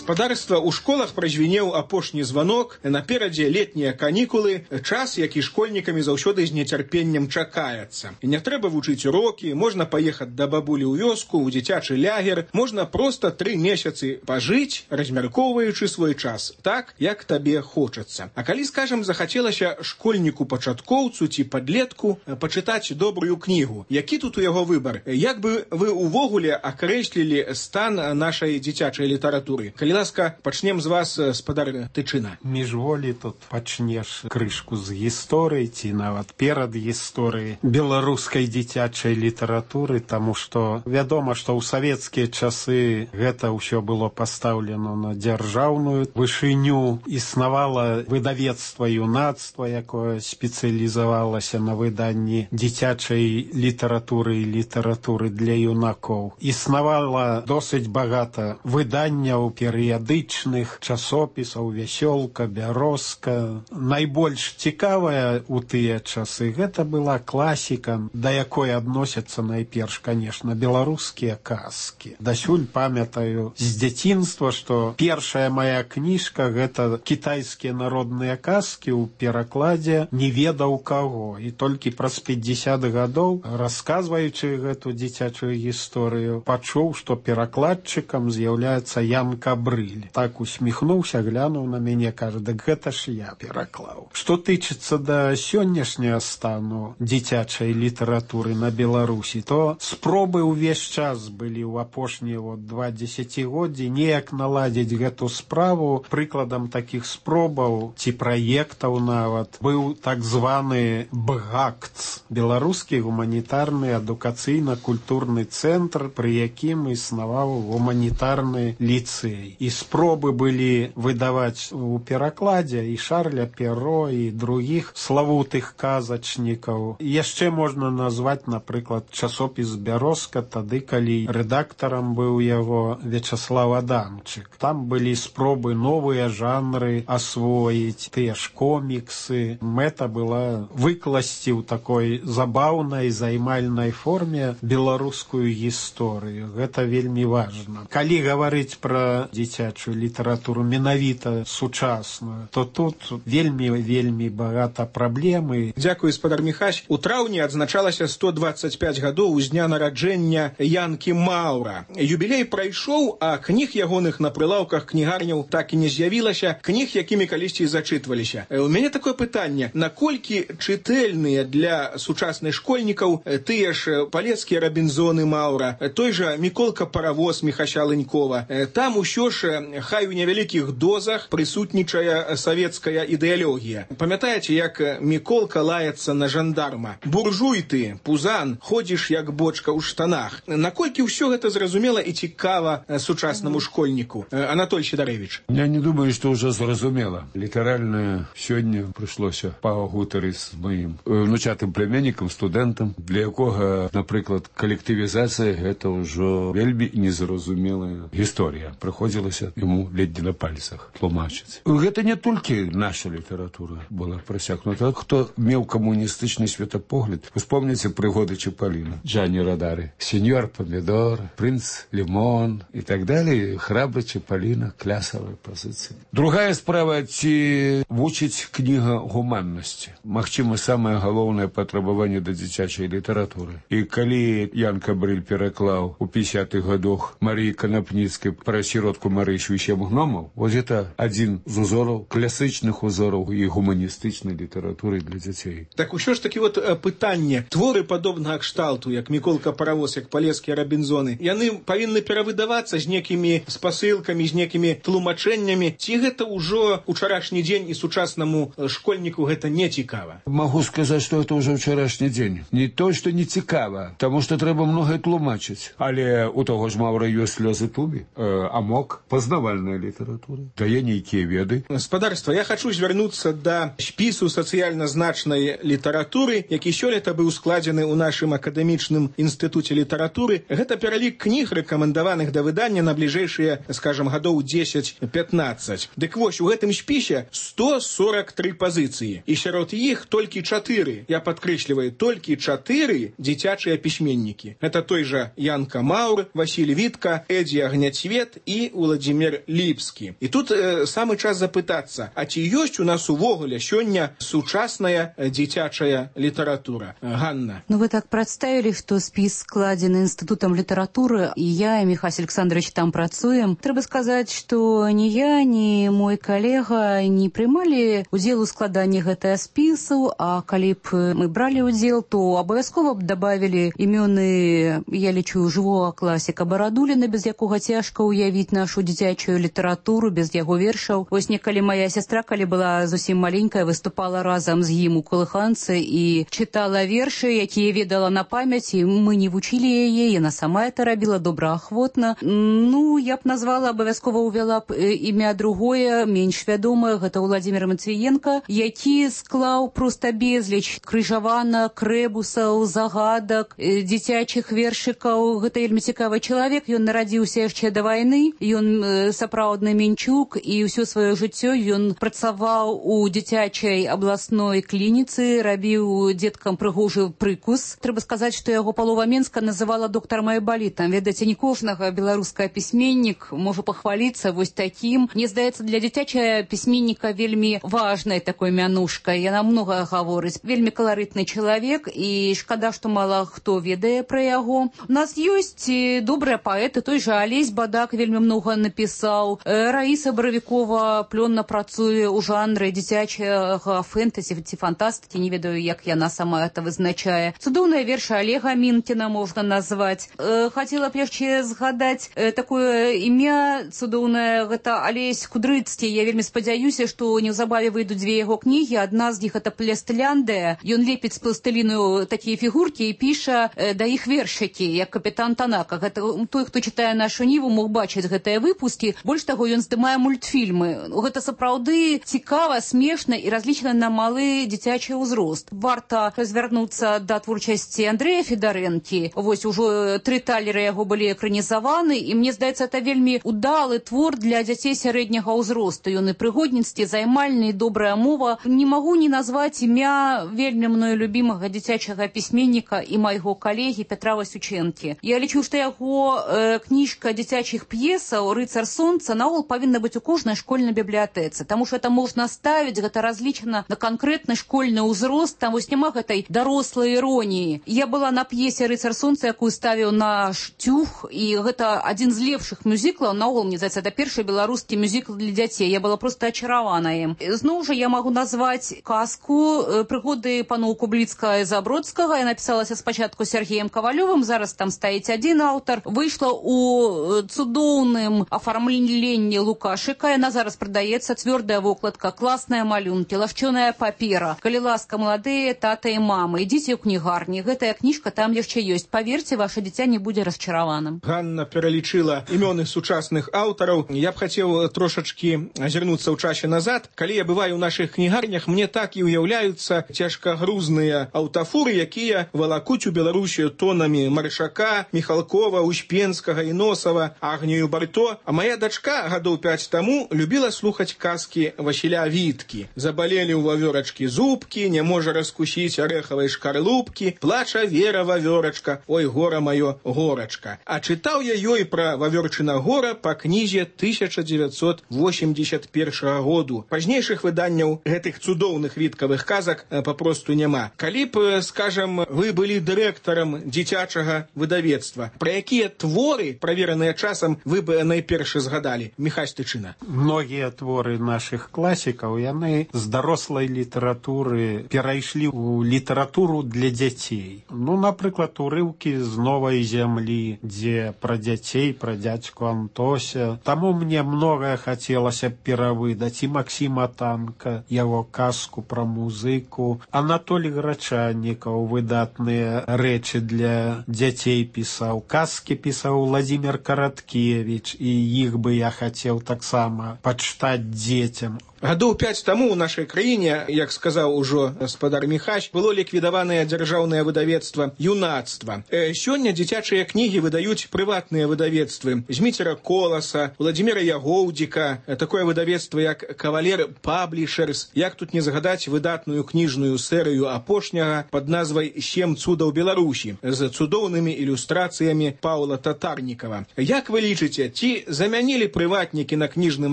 Гаспадарства ў школах празвінеў апошні званок, наперадзе летнія канікулы, час, які школьнікамі заўсёды з нецярпеннем чакаецца. І не трэба вучыць урокі, можна паехаць да бабулі ў вёску, у дзіцячы лягер, можна проста 3 месяцы пажыць, размяркоўваючы свой час, так, як табе хочацца. А калі, скажам, захацелася школьніку-пачаткоўцу ці падлетку пачытаць добрую кнігу, які тут у яго выбар? Як бы вы увогуле акрэслілі стан нашай дзіцячай літаратуры? Калі ласка, пачнем з вас, спадар Тычына. Міжволі тут пачнеш крышку з гісторыі ці нават перад гісторыяй беларускай дзіцячай літаратуры, таму што вядома, што ў савецкія часы гэта ўсё было пастаўлена на дзяржаўную вышыню. Існавала выдавецтва юнацтва, якое спецыялізавалася на выданні дзіцячай літаратуры і літаратуры для юнакоў. Існавала досыць багата выданняў перыяд перыядычных часопісаў «Вясёлка», «Бярозка». Найбольш цікавая ў тыя часы гэта была класіка, да якой адносяцца найперш, конечно, беларускія казкі. Дасюль памятаю з дзяцінства, што першая моя кніжка гэта кітайскія народныя казкі ў перакладзе не ведаў каго. І толькі праз 50 гадоў, расказваючы гэту дзіцячую гісторыю, пачуў, што перакладчыкам з'яўляецца Ян Кабрыль. Так усміхнуўся, глянуў на мяне, кажа: «Дык гэта ж я пераклаў». Што тычыцца да сённяшняга стану дзіцячай літаратуры на Беларусі, то спробы ўвесь час былі ў апошнія 2 дзесяцігоддзі неяк наладзіць гэту справу. Прыкладам такіх спробаў ці праектаў нават быў так званы БГАКЦ, беларускі гуманітарны адукацыйна-культурны цэнтр, пры якім існаваў гуманітарны ліцэй. І спробы былі выдаваць у перакладзе і Шарля Перро, і другіх славутых казачнікаў. Яшчэ можна назваць, напрыклад, часопіс «Бярозка», тады, калі рэдактарам быў яго Вячаслав Адамчык. Там былі спробы новыя жанры асвоіць, тыя ж коміксы. Мэта была выкласці ў такой забаўнай, займальнай форме беларускую гісторыю. Гэта вельмі важна. Калі гаварыць пра дзіцячую літаратуру менавіта сучасную, то тут вельмі багата праблемы. Дзякуй, спадар Міхась. У траўні адзначалася 125 гадоў з дня нараджэння Янкі Маўра. Юбілей прайшоў, а кніг ягоных на прылаўках кнігарняў так і не з'явілася, кніг, якімі калісьці зачытваліся. У мяне такое пытанне: наколькі чытэльныя для сучасных школьнікаў тыя ж палецкія Рабінзоны Маўра, той жа Міколка Паравоз Міхася Ленькова? Там усё ж, хай у невялікіх дозах, прысутнічае савецкая ідэалогія. Памятаеце, як Міколка лаецца на жандарма: «Буржуй ты, пузан, ходзіш як бочка ў штанах». Наколькі ўсё гэта зразумела і цікава сучаснаму школьніку? Анатоль Сідарэвіч. Я не думаю, што ўжо зразумела. Літаральна сёння прыйшлося пагутарыць з маім внучатым племяннікам, студэнтам, для якога, напрыклад, калектывізацыя — гэта ўжо вельмі незразумелая гісторыя. Прыходзілася яму ледзьве на пальцах тлумачыць. Гэта не толькі наша літаратура была прасякнута. Хто меў камуністычны светапогляд, успомніце прыгоды Чапаліна, Джані Радары, сеньор Помідор, принц Лімон і так далее. Храбры Чапаліна, клясавыя пазіцыі. Другая справа, ці вучыць кніга гуманнасці. Магчыма, самае галоўнае патрабаванне да дзіцячай літаратуры. І калі Ян Кабрыль пераклаў у 50-х гадах Марыі Канапніцкай пра сіротку Марышу і 7 гномаў, вось гэта адзін з узораў, класычных узораў і гуманістычнай літаратуры для дзяцей. Так усё ж такі пытанне: творы падобнага кшталту, як Міколка Паравоз, як палецкія Рабінзоны, яны павінны перавыдавацца з некімі спасылкамі, з некімі тлумачэннямі, ці гэта ўжо ўчарашні дзень і сучаснаму школьніку гэта не цікава? Магу сказаць, што гэта ўжо ўчарашні дзень. Не то, што не цікава, таму што трэба многае тлумачыць. Але у таго ж Маўра ёсць слёзы тубі, амок, пазнавальная літаратура, дае нейкія веды. Спадарства, я хачу звярнуцца да спісу сацыяльна значнай літаратуры, які сёлета быў складзены ў нашым акадэмічным інстытуце літаратуры. Гэта пералік кніг, рэкамендаваных да выдання на бліжэйшыя, скажам, гадоў 10-15. Дык вось, у гэтым спісе 143 пазіцыі. І сярод іх толькі 4, я падкрэсліваю, толькі 4 дзіцячыя пісьменнікі. Гэта той жа Янка Маўр, Васіль Вітка, Эдзі Агняцвет і Уладзімір Ліпскі. І тут самы час запытацца, а ці ёсць у нас увогуле сёння сучасная дзіцячая літаратура? Ганна. Ну, вы так прадставілі, што спіс складзены інстытутам літаратуры, і я, і Міхась Александрович там працуем. Трэба сказаць, што ні я, ні мой калега не прымалі удзел у складанні гэтага спісу, а калі б мы бралі удзел, то абавязкова б дабавілі імёны, я лічу, жывога класіка Барадуліна, без якога цяжка ўявіць нашу дзіцячую літаратуру, без яго вершаў. Вось некалі моя сястра, калі была зусім маленькая, выступала разам з ім у калыханцы і чытала вершы, якія ведала на памяць, і мы не вучылі яе, яна сама это рабіла добраахвотна. Ну, я б назвала, абавязкова ўвяла б імя другое, менш вядомае, гэта Уладзімір Матвіенка, які склаў проста безліч крыжаванак, рэбусаў, загадак, дзіцячых вершыкаў. Гэта вельмі цікавы чалавек, ён нарадзіўся яшчэ да вайны, ён сапраўдны мінчук, і ўсё сваё жыццё ён працаваў у дзіцячай абласной клініцы, рабіў дзеткам прыгожы прыкус. Трэба сказаць, што яго палова Менска называла доктарам айбалітам. Ведаеце, не кожнага беларускага пісьменнік можа пахваліцца вось такім. Мне здаецца, для дзіцячага пісьменніка вельмі важнай такой мянушкай. Яна многае гаворыць. Вельмі каларытны чалавек, і шкада, што мала хто ведае пра яго. У нас ёсць добрыя паэты, той жа Алесь Бадак вельмі многа напісаў. Раіса Баравікова плённа працуе ў жанры дзіцячага фэнтэзі ці фантастыкі, не ведаю, як яна сама это вызначае. Цудоўныя вершы Олега Мінкіна можна назваць. Хацела б яшчэ згадаць такое імя цудоўнае, гэта Алесь Кудрыцкі. Я вельмі спадзяюся, што неўзабаве выйдуць две яго кнігі. Адна з іх это «Пластыляндыя». Ён лепіць з пластыліну такія фігуркі і піша да іх вершыкі, як капітан Танака. Гэта той, хто чытае нашу Ніву, мог бачыць гэтыя выпускі. Больш таго, ён здымае мультфільмы. Гэта сапраўды цікава, смешна і разлічана на малы дзіцячы ўзрост. Варта звярнуцца да творчасці Андрэя Федарэнкі. Вось ужо 3 талеры яго былі экранізаваны, і мне здаецца, это вельмі удалы твор для дзяцей сярэдняга ўзросту. Ён і прыгодніцкі, займальны, і добрая мова. Не магу не назваць імя вельмі мною любімага дзіцячага пісьменніка і майго калегі Пятра Васючэнкі. Я лічу, што яго кніжка дзіцячых п'есаў «Рыцар сонца» наогул павінна быць у кожнай школьнай бібліятэцы, таму што это можна ставіць, гэта разлічана на канкрэтны школьны ўзрост, там вось няма гэтай дарослай іроніі. Я была на п'есе «Рыцар сонца», якую ставіў наш Тюх, і гэта адзін з лепшых мюзіклаў, наогул, мне здаецца, это першы беларускі мюзікл для дзяцей. Я была проста ачаравана ім. Зноў жа я магу назваць казку «Прыгоды паноў Кубліцкага і Забродскага». Я напісалася спачатку Сергеем Кавалёвым, зараз там стаіць адзін аўтар. Выйшла ў цудоўным афармленні Лукашыка. Яна зараз прадаецца, цвёрдая вокладка, класныя малюнкі, лагчоная папера. Калі ласка, маладыя тата і мамы, ідзіце ў кнігарні. Гэтая кніжка там яшчэ ёсць. Паверце, ваша дзіця не будзе расчараваным. Ганна пералічыла імёны сучасных аўтараў. Я б хацеў трошачкі азірнуцца ў часе назад. Калі я бываю ў нашых кнігарнях, мне так і ўяўляюцца цяжкагрузныя аўтафуры, якія валакуць у Беларусію тонамі Маршака, Міхалкова, Успенскага і Носава, Агнію Барто. А моя дачка гадоў 5 таму любіла слухаць казкі Васіля Віткі. Забалелі ў вавёрачкі зубкі, не можа раскусіць арэхавай шкарлупкі, плача Вера вавёрачка, ой, гора маё, горачка. А чытаў я ёй пра вавёрчына гора па кнізе 1981 году. Пазнейшых выданняў гэтых цудоўных віткавых казак папросту няма. Калі б, скажам, вы былі дырэктарам дзіцячага выдавецтва, пра якія творы, правераныя часам, вы бы найперш згадалі? Міхась Тычына. Многія творы нашых класікаў, яны з дарослай літаратуры перайшлі ў літаратуру для дзяцей. Ну, напрыклад, урыўкі з «Новай зямлі», дзе пра дзяцей, пра дзядзьку Антося. Таму мне многае хацелася перавыдаць. І Максіма Танка, яго казку пра музыку. Анатолій Грачаннікаў выдатныя рэчы для дзяцей пісаў. Казкі пісаў Владзімир Караткевіч, і іх бы я хацеў таксама пачытаць дзецям. Гадоў 5 таму ў нашай краіне, як сказаў ужо гаспадар Міхась, было ліквідаванае дзяржаўнае выдавецтва «Юнацтва». Сёння дзіцячыя кнігі выдаюць прыватныя выдавецтвы. Зміцера Коласа, Владзіміра Ягоўдзіка, такое выдавецтва, як «Кавалер Паблішерс». Як тут не згадаць выдатную кніжную серыю апошняга пад назвай «7 цудаў Беларусі» з цудоўнымі ілюстрацыямі Паўла Татарнікава. Як вы лічыце, ці замянілі прыватнікі на кніжным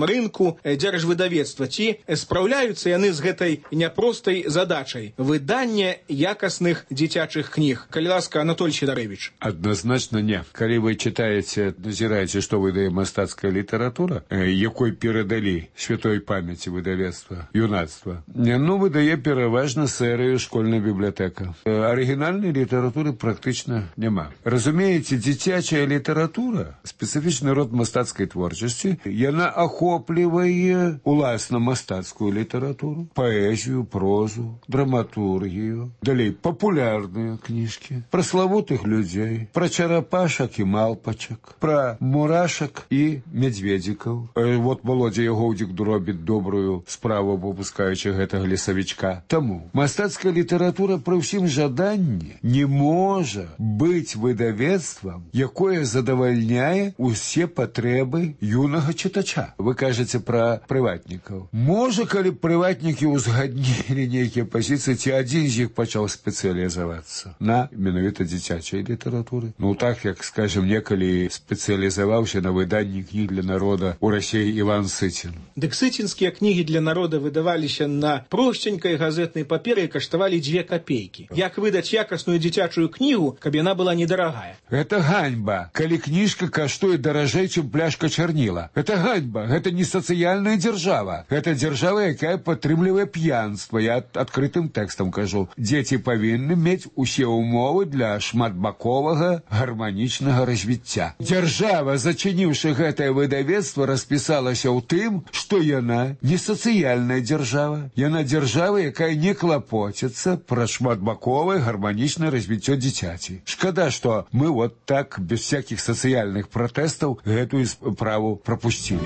рынку дзяржвыдавецтва? Ці спраўляюцца яны з гэтай няпростай задачай выдання якасных дзіцячых кніг? Калі ласка, Анатолій Сідарэвіч. Адназначна не. Калі вы чытаеце, назіраеце, што выдае мастацкая літаратура, якой перадалі святой памяці выдавецтва «Юнацтва», ну, выдае пераважна серыю «Школьная бібліятэка». Арыгінальнай літаратуры практычна няма. Разумееце, дзіцячая літаратура, спецыфічны род мастацкай творчасці, яна ахоплівае уласна мастацкую літаратуру, паэзію, прозу, драматургію, далей папулярныя кніжкі, пра славутых людзей, пра чарапашак і малпачак, пра мурашак і мядзведзікаў. Вот Володя Ягоўдзік робіць добрую справу, выпускаючы гэтага лесавічка. Таму мастацкая літаратура пры ўсім жаданні не можа быць выдавецтвам, якое задавальняе усе патрэбы юнага чытача. Вы кажаце пра прыватнікаў. Можа, калі прыватнікі ўзгаднілі нейкія пазіцыі, ці адзін з іх пачаў спецыялізавацца на менавіта дзіцячай літаратуры. Ну так, як, скажем, некалі спецыялізаваўся на выданні кніг для народа ў Расіі Іван Сыцін. Дык сыцінскія кнігі для народа выдаваліся на просценькай газетнай паперы і каштавалі 2 копейкі. Як выдаць якасную дзіцячую кнігу, каб яна была недарагая? Гэта ганьба, калі кніжка каштуе даражэй, чым пляшка чарніла. Гэта ганьба, гэта не сацыяльная дзяржава. Гэта дзяржава, якая падтрымлівае п'янства. Я адкрытым тэкстам кажу. Дзеці павінны мець усе ўмовы для шматбаковага гарманічнага развіцця. Дзяржава, зачыніўшы гэтае выдавецтва, распісалася ў тым, што яна не сацыяльная дзяржава. Яна дзяржава, якая не клапоціцца пра шматбаковае гарманічнае развіццё дзіцяці. Шкада, што мы вот так, без всяких сацыяльных пратэстаў, гэтую справу прапусцілі.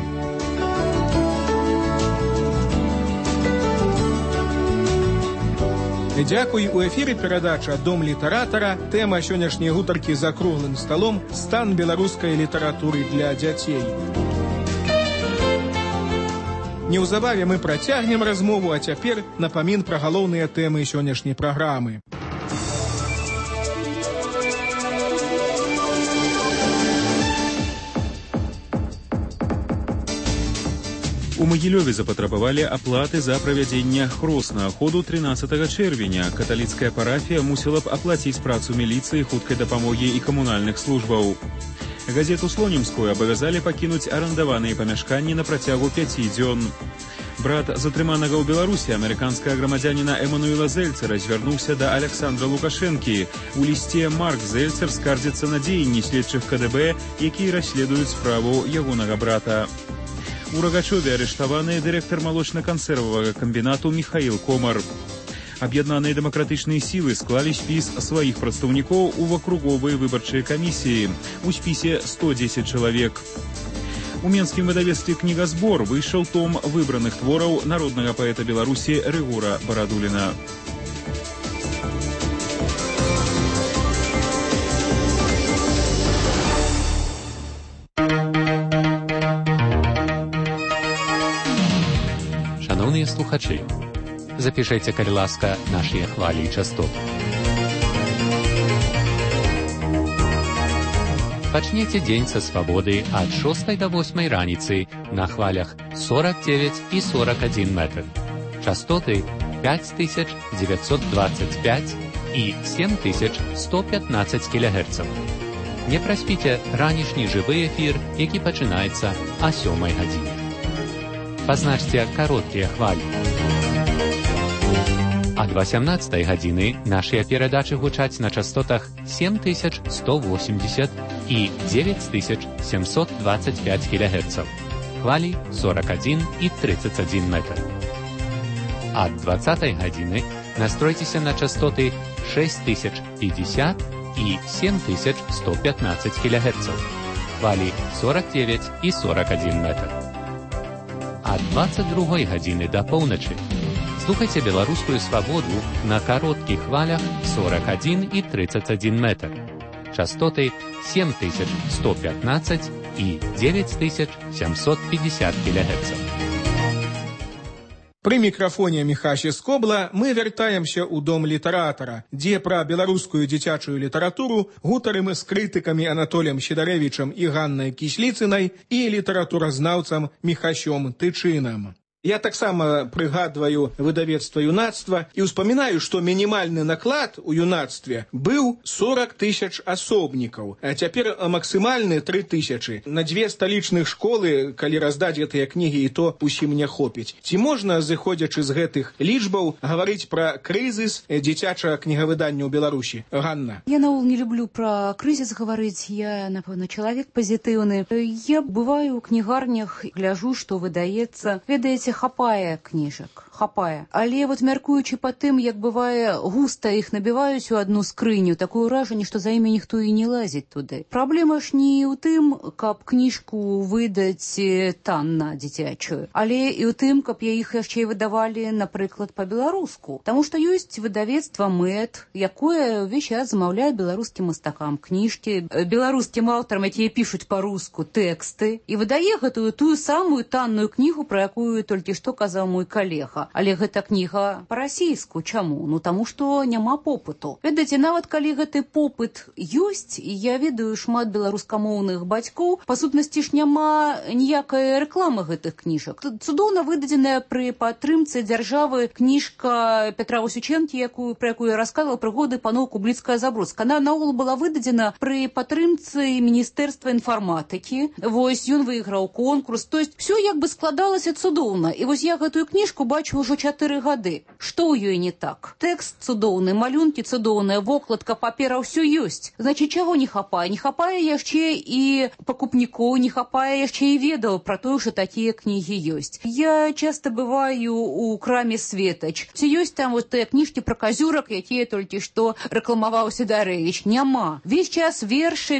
Дзякуй. У эфіры перадача «Дом літаратара». Тэма сённяшняй гутаркі за круглым сталом «Стан беларускай літаратуры для дзяцей». Неўзабаве мы працягнем размову, а цяпер напамін пра галоўныя тэмы сённяшняй праграмы. У Магілёве запатрабавалі аплаты за правядзенне хроснага ходу 13 чэрвеня. Каталіцкая парафія мусіла б аплаціць працу міліцыі, хуткай дапамогі і камунальных службаў. Газету «Слонімскую» абавязалі пакінуць арандаваныя памяшканні на працягу 5 дзён. Брат затрыманага ў Беларусі, амерыканскага грамадзяніна Эмануэла Зельцера, звярнуўся да Александра Лукашэнкі. У лісце Марк Зельцер скардзіцца на дзеянні следчых КДБ, якія расследуюць справу ягонага брата. У Рагачове арыштаваны дырэктар малочна-кансервавага камбінату Міхаіл Комар. Аб'яднаныя дэмакратычныя сілы склалі спіс сваіх прадстаўнікоў у акруговыя выбарчыя камісіі. У спісе 110 чалавек. У менскім выдавецтве «Кнігазбор» выйшаў том выбраных твораў народнага паэта Беларусі Рыгора Барадуліна. Шановні слухачі, запишите, калі ласка, наші хвалі і частоты. Пачнеце дзень са свабоды ад 6 до 8 раніцы на хвалях 49 і 41 метр. Частоты 5925 і 7115 кГц. Не праспіце ранішні жывы эфір, які пачынаецца о 7 гадзіне. Пазначце кароткія хвалі. Ад 18 гадзіны нашыя перадачы гучаць на частотах 7180 і 9725 кГц. Хвалі 41 і 31 метр. Ад 20 гадзіны настройцеся на частоты 6050 і 7115 кГц. Хвалі 49 і 41 метр. Ад 22 гадзіны да поўначы слухайце беларускую свабоду на кароткіх хвалях 41 і 31 метр. Частоты 7115 і 9750 кГц. Пры мікрафоне Міхася Скобла мы вяртаемся ў дом літаратара, дзе пра беларускую дзіцячую літаратуру гутарым з крытыкамі Анатоліем Сідарэвічам і Ганнай Кісліцынай і літаратуразнаўцам Міхасём Тычынам. Я таксама прыгадваю выдавецтва юнацтва і ўспамінаю, што мінімальны наклад у юнацтве быў 40 000 асобнікаў, а цяпер максімальны 3 000. На 2 сталічных школы, калі раздаць гэтыя кнігі, і то усім не хопіць. Ці можна, зыходзячы з гэтых лічбаў, гаварыць пра крызіс дзіцячага кнігавыдання ў Беларусі? Ганна. Я наогул не люблю пра крызіс гаварыць, я, напэўна, чалавек пазітыўны. Я бываю ў кнігарнях, гляжу, што выдаецца. Ведаеце, ведаеце, хапае кніжак, хапае. Але вот мяркуючы па тым, як бывае, густа іх набіваюць у одну скрыню, такое ўражанне, што за імі ніхто і не лазіць туды. Праблема ж не ў тым, каб кніжку выдаць танна дзіцячую, але і ў тым, каб іх яшчэ і выдавалі, напрыклад, па-беларуску. Таму што ёсць выдавецтва МЭД, якое ўвесь час замаўляе беларускім мастакам кніжкі, беларускім аўтарам, якія пішуць па-руску тэксты, і выдае гэтую тую самую танную кнігу, пра якую толькі што казаў мой калега. Але гэта кніга па-расійску. Чаму? Ну, таму што няма попыту. Ведаеце, нават калі гэты попыт ёсць, і я ведаю шмат беларускамоўных бацькоў, па сутнасці ж няма ніякай рэкламы гэтых кніжак. Цудоўна выдадзеная пры падтрымцы дзяржавы кніжка Петра Васючэнкі, пра якую я расказвала, прыгоды паноў Кубліцкая-Забродская. Она наогул была выдадзена пры падтрымцы Міністэрства інфарматыкі. Вось ён выйграў конкурс. То есть все як бы складалася цудоўна. І вось я гэтую кніжку бачу ўжо 4 гады. Што ў ёй не так? Тэкст цудоўны, малюнкі цудоўныя, вокладка, папера, ўсё ёсць. Значыць, чаго не хапае? Не хапае яшчэ і пакупнікоў, не хапае яшчэ і ведаў пра тое, што такія кнігі ёсць. Я часта бываю у краме «Светач». Ці ёсць там вот тыя кніжкі пра казюрак, якія толькі што рэкламаваў Сідарэвіч? Няма. Весь час вершы.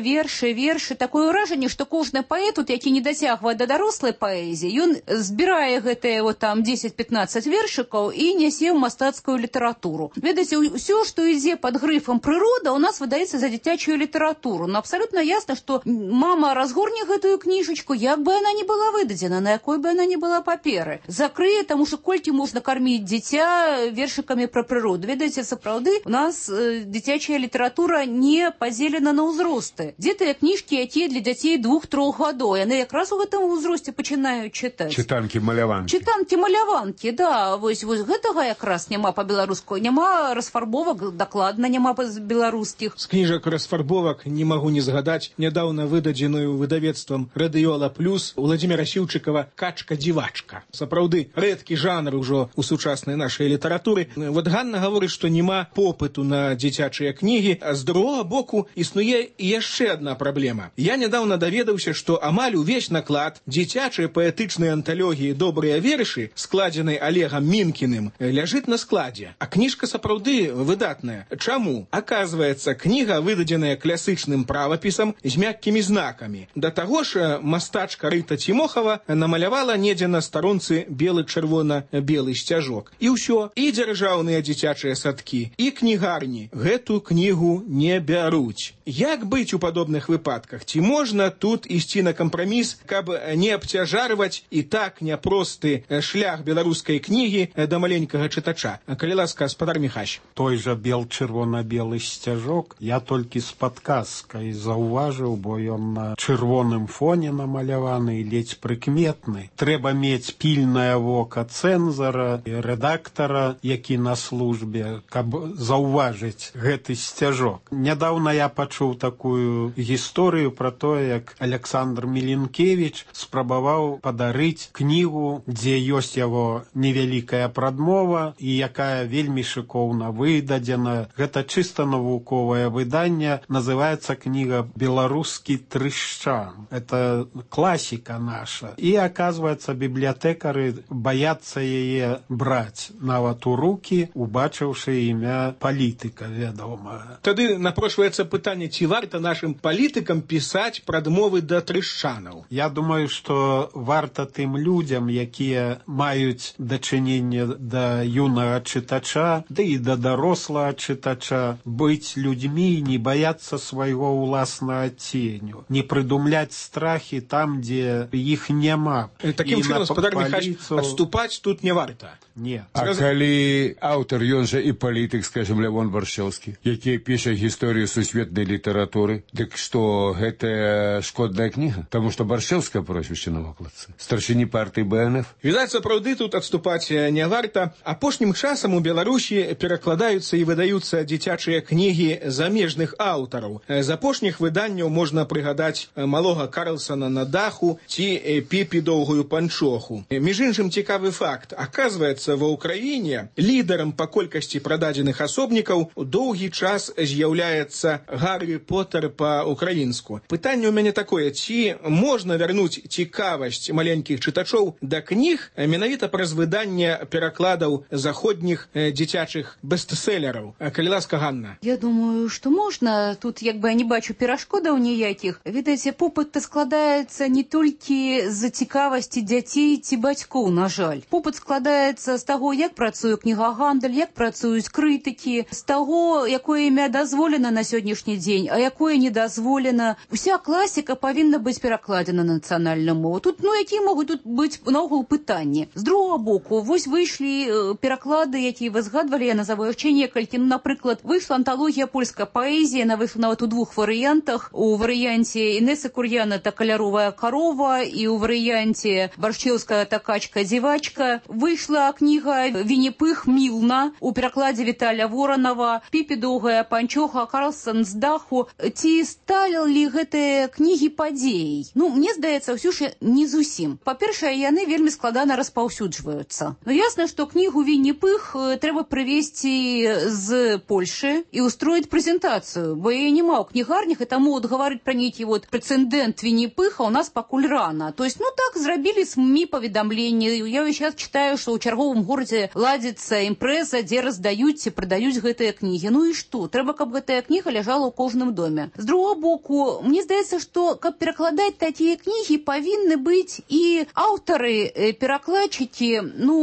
Такое ўражанне, што кожны паэт, які не дацягвае да дарослай паэзіі, ён збірае гэтыя вот там 10-15 вершыкаў і нясе ў мастацкую літаратуру. Ведаеце, ўсё, што ідзе пад грыфам прырода, у нас выдаецца за дзіцячую літаратуру. Но абсалютна ясна, што мама разгорне гэтую кніжачку, як бы яна не была выдадзена, на якой бы яна не была паперы. Закрые, таму што колькі можна карміць дзіця вершыкамі пра прыроду. Ведаеце, сапраўды, у нас дзіцячая літаратура не падзелена на ўзросты. Дзе тыя кніжкі, якія для дзяцей 2-3 гадоў? Яны якраз у гэтым узросце пачынаюць чытаць. Чытанкі-маляванкі, да. Вось гэтага якраз няма па-беларуску. Няма расфарбовак, дакладна няма беларускіх. З кніжак расфарбовак не магу не згадаць нядаўна выдадзеную выдавецтвам «Радыёла Плюс» Владзіміра Сіўчыкава «Качка-дзівачка». Сапраўды, рэдкі жанр ужо у сучаснай нашай літаратуры. Вот Ганна гаворыць, што няма попыту на дзіцячыя кнігі, а з другога боку існуе яшчэ адна праблема. Я нядаўна даведаўся, што амаль увесь наклад дзіцячай паэтычнай анталогіі «Добрыя вершы», складзенай Олегам Мінкіным, ляжыць на складзе. А кніжка сапраўды выдатная. Чаму? Аказваецца, кніга выдадзеная класычным правапісам з мяккімі знакамі. Да таго ж мастачка Рыта Цімохава намалявала недзе на старонцы белы-чырвона-белы сцяжок. І ўсё, і дзяржаўныя дзіцячыя садкі, і кнігарні гэту кнігу не бяруць. Як быць у падобных выпадках? Ці можна тут ісці на кампраміс, каб не абцяжарваць і так няпросты шлях беларускай кнігі да маленькага чытача? Калі ласка, гаспадар Міхась. Той жа бел-чырвона-белы сцяжок я толькі з падказкай заўважыў, бо ён на чырвоным фоне намаляваны, ледзь прыкметны. Трэба мець пільнае вока цэнзара і рэдактара, які на службе, каб заўважыць гэты сцяжок. Нядаўна я пачуў такую гісторыю пра тое, як Александр Міленкевіч спрабаваў падарыць кнігу, дзе ёсць яго невялікая прадмова і якая вельмі шыкоўна выдадзена. Гэта чыста навуковае выданне, называецца кніга «Беларускі трышчан». Это класіка наша. І, аказваецца, бібліятэкары баяцца яе браць нават у рукі, убачыўшы імя палітыка, вядома. Тады напрошваецца пытанне, ці варта нашым палітыкам пісаць прадмовы да трышчанаў? Я думаю, што варта тым людзям, якія маюць дачыненне да юнага чытача, да і да дарослага чытача, быць людзьмі, не баяцца свайго ўласнага ценю, не прыдумляць страхі там, дзе іх няма. Такім чынам, гаспадар Міхась, адступаць тут не варта. Не. А калі аўтар, ён жа і палітык, скажем, Лявон Баршэўскі, які піша гісторыю сусветнай літаратуры, дык што гэта шкодная кніга? Таму што Баршэўская прозвішча на вокладцы. Старшыні партыі БНФ. Відаць, сапраўды тут адступаць не варта. Апошнім часам у Беларусі перакладаюцца і выдаюцца дзіцячыя кнігі замежных аўтараў. З апошніх выданняў можна прыгадаць малога Карлсона на даху ці Піпі доўгую панчоху. Між іншым, цікавы факт. Аказваецца, ва ўкраіне лідарам па колькасці прададзеных асобнікаў доўгі час з'яўляецца Гаррі Поттер па-украінску. Пытанне ў мяне такое, ці можна вярнуць цікавасць маленькіх чытачоў да кніг, кніг менавіта праз выданне перакладаў заходніх дзіцячых бестселераў. Калі ласка, Ганна. Я думаю, што можна. Тут як бы я не бачу перашкодаў ніякіх. Ведаеце, попыт складаецца не толькі з-за цікавасці дзяцей ці бацькоў, на жаль. Попыт складаецца з таго, як працуе кнігагандаль, як працуюць крытыкі, з таго, якое імя дазволена на сённяшні дзень, а якое не дазволена. Уся класіка павінна быць перакладзена на нацыянальную мову. Тут, якія могуць тут быць наогул пытанні. З другога боку, вось выйшлі пераклады, якія вы згадвалі, я назову іх некалькі. Напрыклад, выйшла анталогія польскай паэзіі, яна выйшла нават у двух варыянтах. У варыянце Інесы Кур'яна та каляровая карова і ў варыянце Баршчеўская та качка-дзівачка. Выйшла кніга Вінні-Пых Мілна у перакладзе Віталя Воранова, Піпі доўгая панчоха, Карлсон з даху. Ці сталі гэтыя кнігі падзеяй? Мне здаецца, ўсё ж не зусім. Па-першае, яны вельмі складана распаўсюджваюцца. Ясна, што кнігу Вінні-Пых трэба прывезці з Польшы і устроіць прэзентацыю, бо яе няма ў кнігарнях, і таму гаварыць пра нейкі прэцэдэнт Вінні-Пыха у нас пакуль рана. То есть, так зрабілі СМІ паведамленні. Я сейчас читаю, што ў чарговым горадзе ладзіцца імпрэза, дзе раздаюць ці прадаюць гэтыя кнігі. І што? Трэба, каб гэтая кніга ляжала ў кожным доме. З другого боку, мне здаецца, што каб перакладаць такія кнігі, павінны быць і аўтары, перакладчыкі,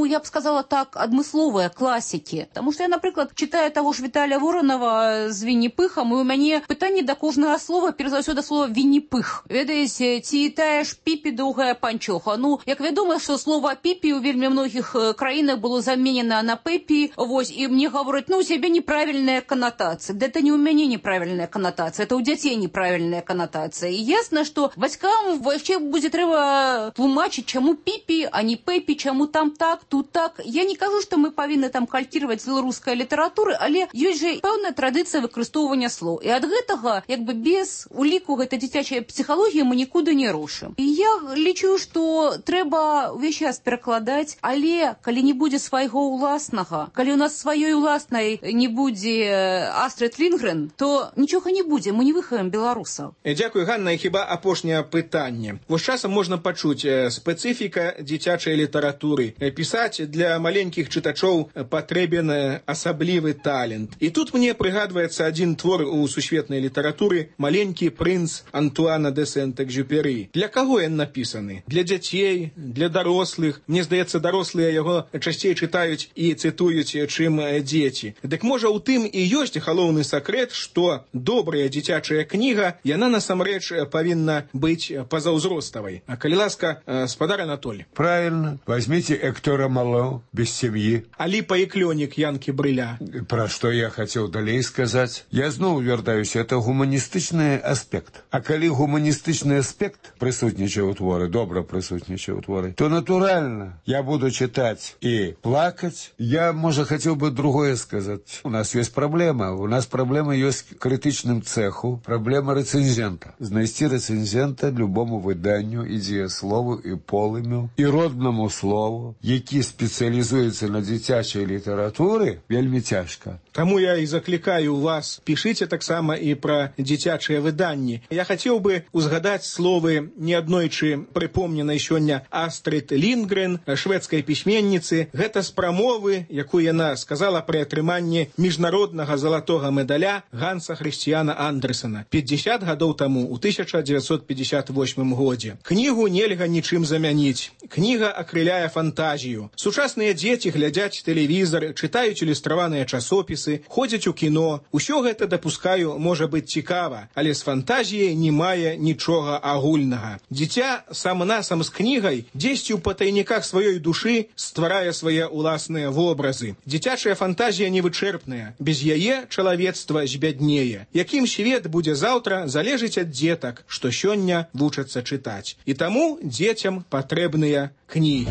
я б сказала так, адмысловыя класікі. Таму што я, напрыклад, читаю таго ж Віталя Воранова з Вінні-Пыхам, і у мяне пытанне да кожнага слова, перш за ўсё да слова Вінні-Пых. Ведаеце, ці тая ж Піпі доўгая панчоха. Як вядома, што слова Піпі ў вельмі многіх краінах было заменена на Пепі, і мне гавораць, у цябе неправільная канатацыя. Это не ў мяне неправільная канатацыя, это ў дзяцей неправільная канатацыя. І ясна, што бацькам яшчэ будзе трэба тлумачыць, чаму Піпі, а не Пепі, чаму там так, тут так. Я не кажу, што мы павінны там калькіраваць з беларускай літаратуры, але ёсць жа пэўная традыцыя выкарыстоўвання слоў. І ад гэтага, без уліку гэтай дзіцячай псіхалогіі мы нікуды не рушым. І я лічу, што трэба ўвесь час перакладаць, але калі не будзе свайго ўласнага, калі у нас сваёй уласнай не будзе Астрид Лінгрен, то нічога не будзе, мы не выхаваем беларусаў. Дзякуй, Ганна, і хіба апошняе пытанне. Вось часам можна пачуць спецыфіка дзіцячай літаратуры. Пісаць для маленькіх чытачоў патрэбен асаблівы талент. І тут мне прыгадваецца адзін твор у сусветнай літаратуры «Маленькі прынц» Антуана де Сент-Экзюпері. Для каго ён напісаны? Для дзяцей, для дарослых. Мне здаецца, дарослыя яго часцей чытаюць і цытуюць, чым дзеці. Дык можа ў тым і ёсць галоўны сакрэт, што добрая дзіцячая кніга, яна насамрэч павінна быць пазаўзроставай. А калі ласка, спадар Анатоль. Правильно. Возьмите Эктора Мало «Без семьи». Алипа и Клёник Янки Брыля. Про что я хотел далей сказать. Я зноў вяртаюся, это гуманістычны аспект. А калі гуманістычны аспект прысутнічае ў творы, добра прысутнічае ў творы, то натуральна я буду читать и плакать. Я, может, хотел бы другое сказать. У нас есть проблема. У нас проблема есть к критичным цеху. Проблема рецензента. Знайсці рецензента любому выданню, і дзеяслову, і полымю, і родному слову, які спецыялізуецца на дзіцячай літаратуры, вельмі цяжка. Таму я і заклікаю вас, пішыце таксама і пра дзіцячыя выданні. Я хацеў бы узгадаць словы неаднойчы прыпомненай сёння Астрид Лінгрен, шведскай пісьменніцы. Гэта з прамовы, якую яна сказала пры атрыманні міжнароднага залатога медаля Ганса Хрысціяна Андерсена 50 гадоў таму, у 1958 годзе. Кнігу нельга нічым замяніць. Кніга акрыляе фантазію. Сучасныя дзеці глядзяць тэлевізар, чытаюць ілюстраваныя часопісы, ходзяць у кіно. Усё гэта, дапускаю, можа быць цікава, але з фантазіяй не мае нічога агульнага. Дзіця сам-насам з кнігай дзесьці ў патайніках сваёй душы стварае свае ўласныя вобразы. Дзіцячая фантазія невычэрпная. Без яе чалавецтва збяднее. Якім свет будзе заўтра, залежыць ад дзетак, што сёння вучацца чытаць. І таму дзецям патрэбныя кнігі.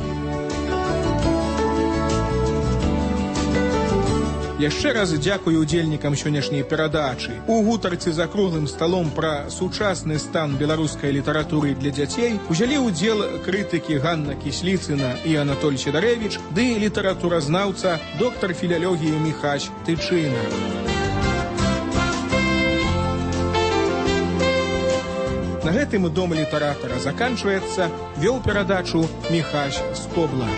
Яшчэ раз дзякую удзельнікам сённяшняй перадачы. У гутарцы за круглым сталом пра сучасны стан беларускай літаратуры для дзяцей узялі ўдзел крытыкі Ганна Кісліцына і Анатоль Сідарэвіч ды літаратуразнаўца доктар філялогіі Міхась Тычына. На гэтым дом літаратара заканчваецца, вёў перадачу Міхась Скобла.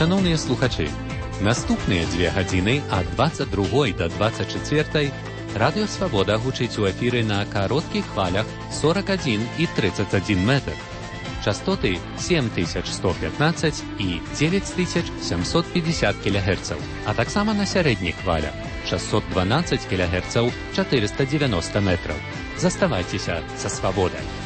Шановні слухачі, наступныя 2 гадзіны ад 22 до 24 Радыё Свабода гучыць у эфіры на кароткіх хвалях 41 і 31 метр. Частоты 7115 і 9750 кГц, а таксама на сярэдніх хвалях 612 кГц 490 метраў. Заставайцеся са Свабодай.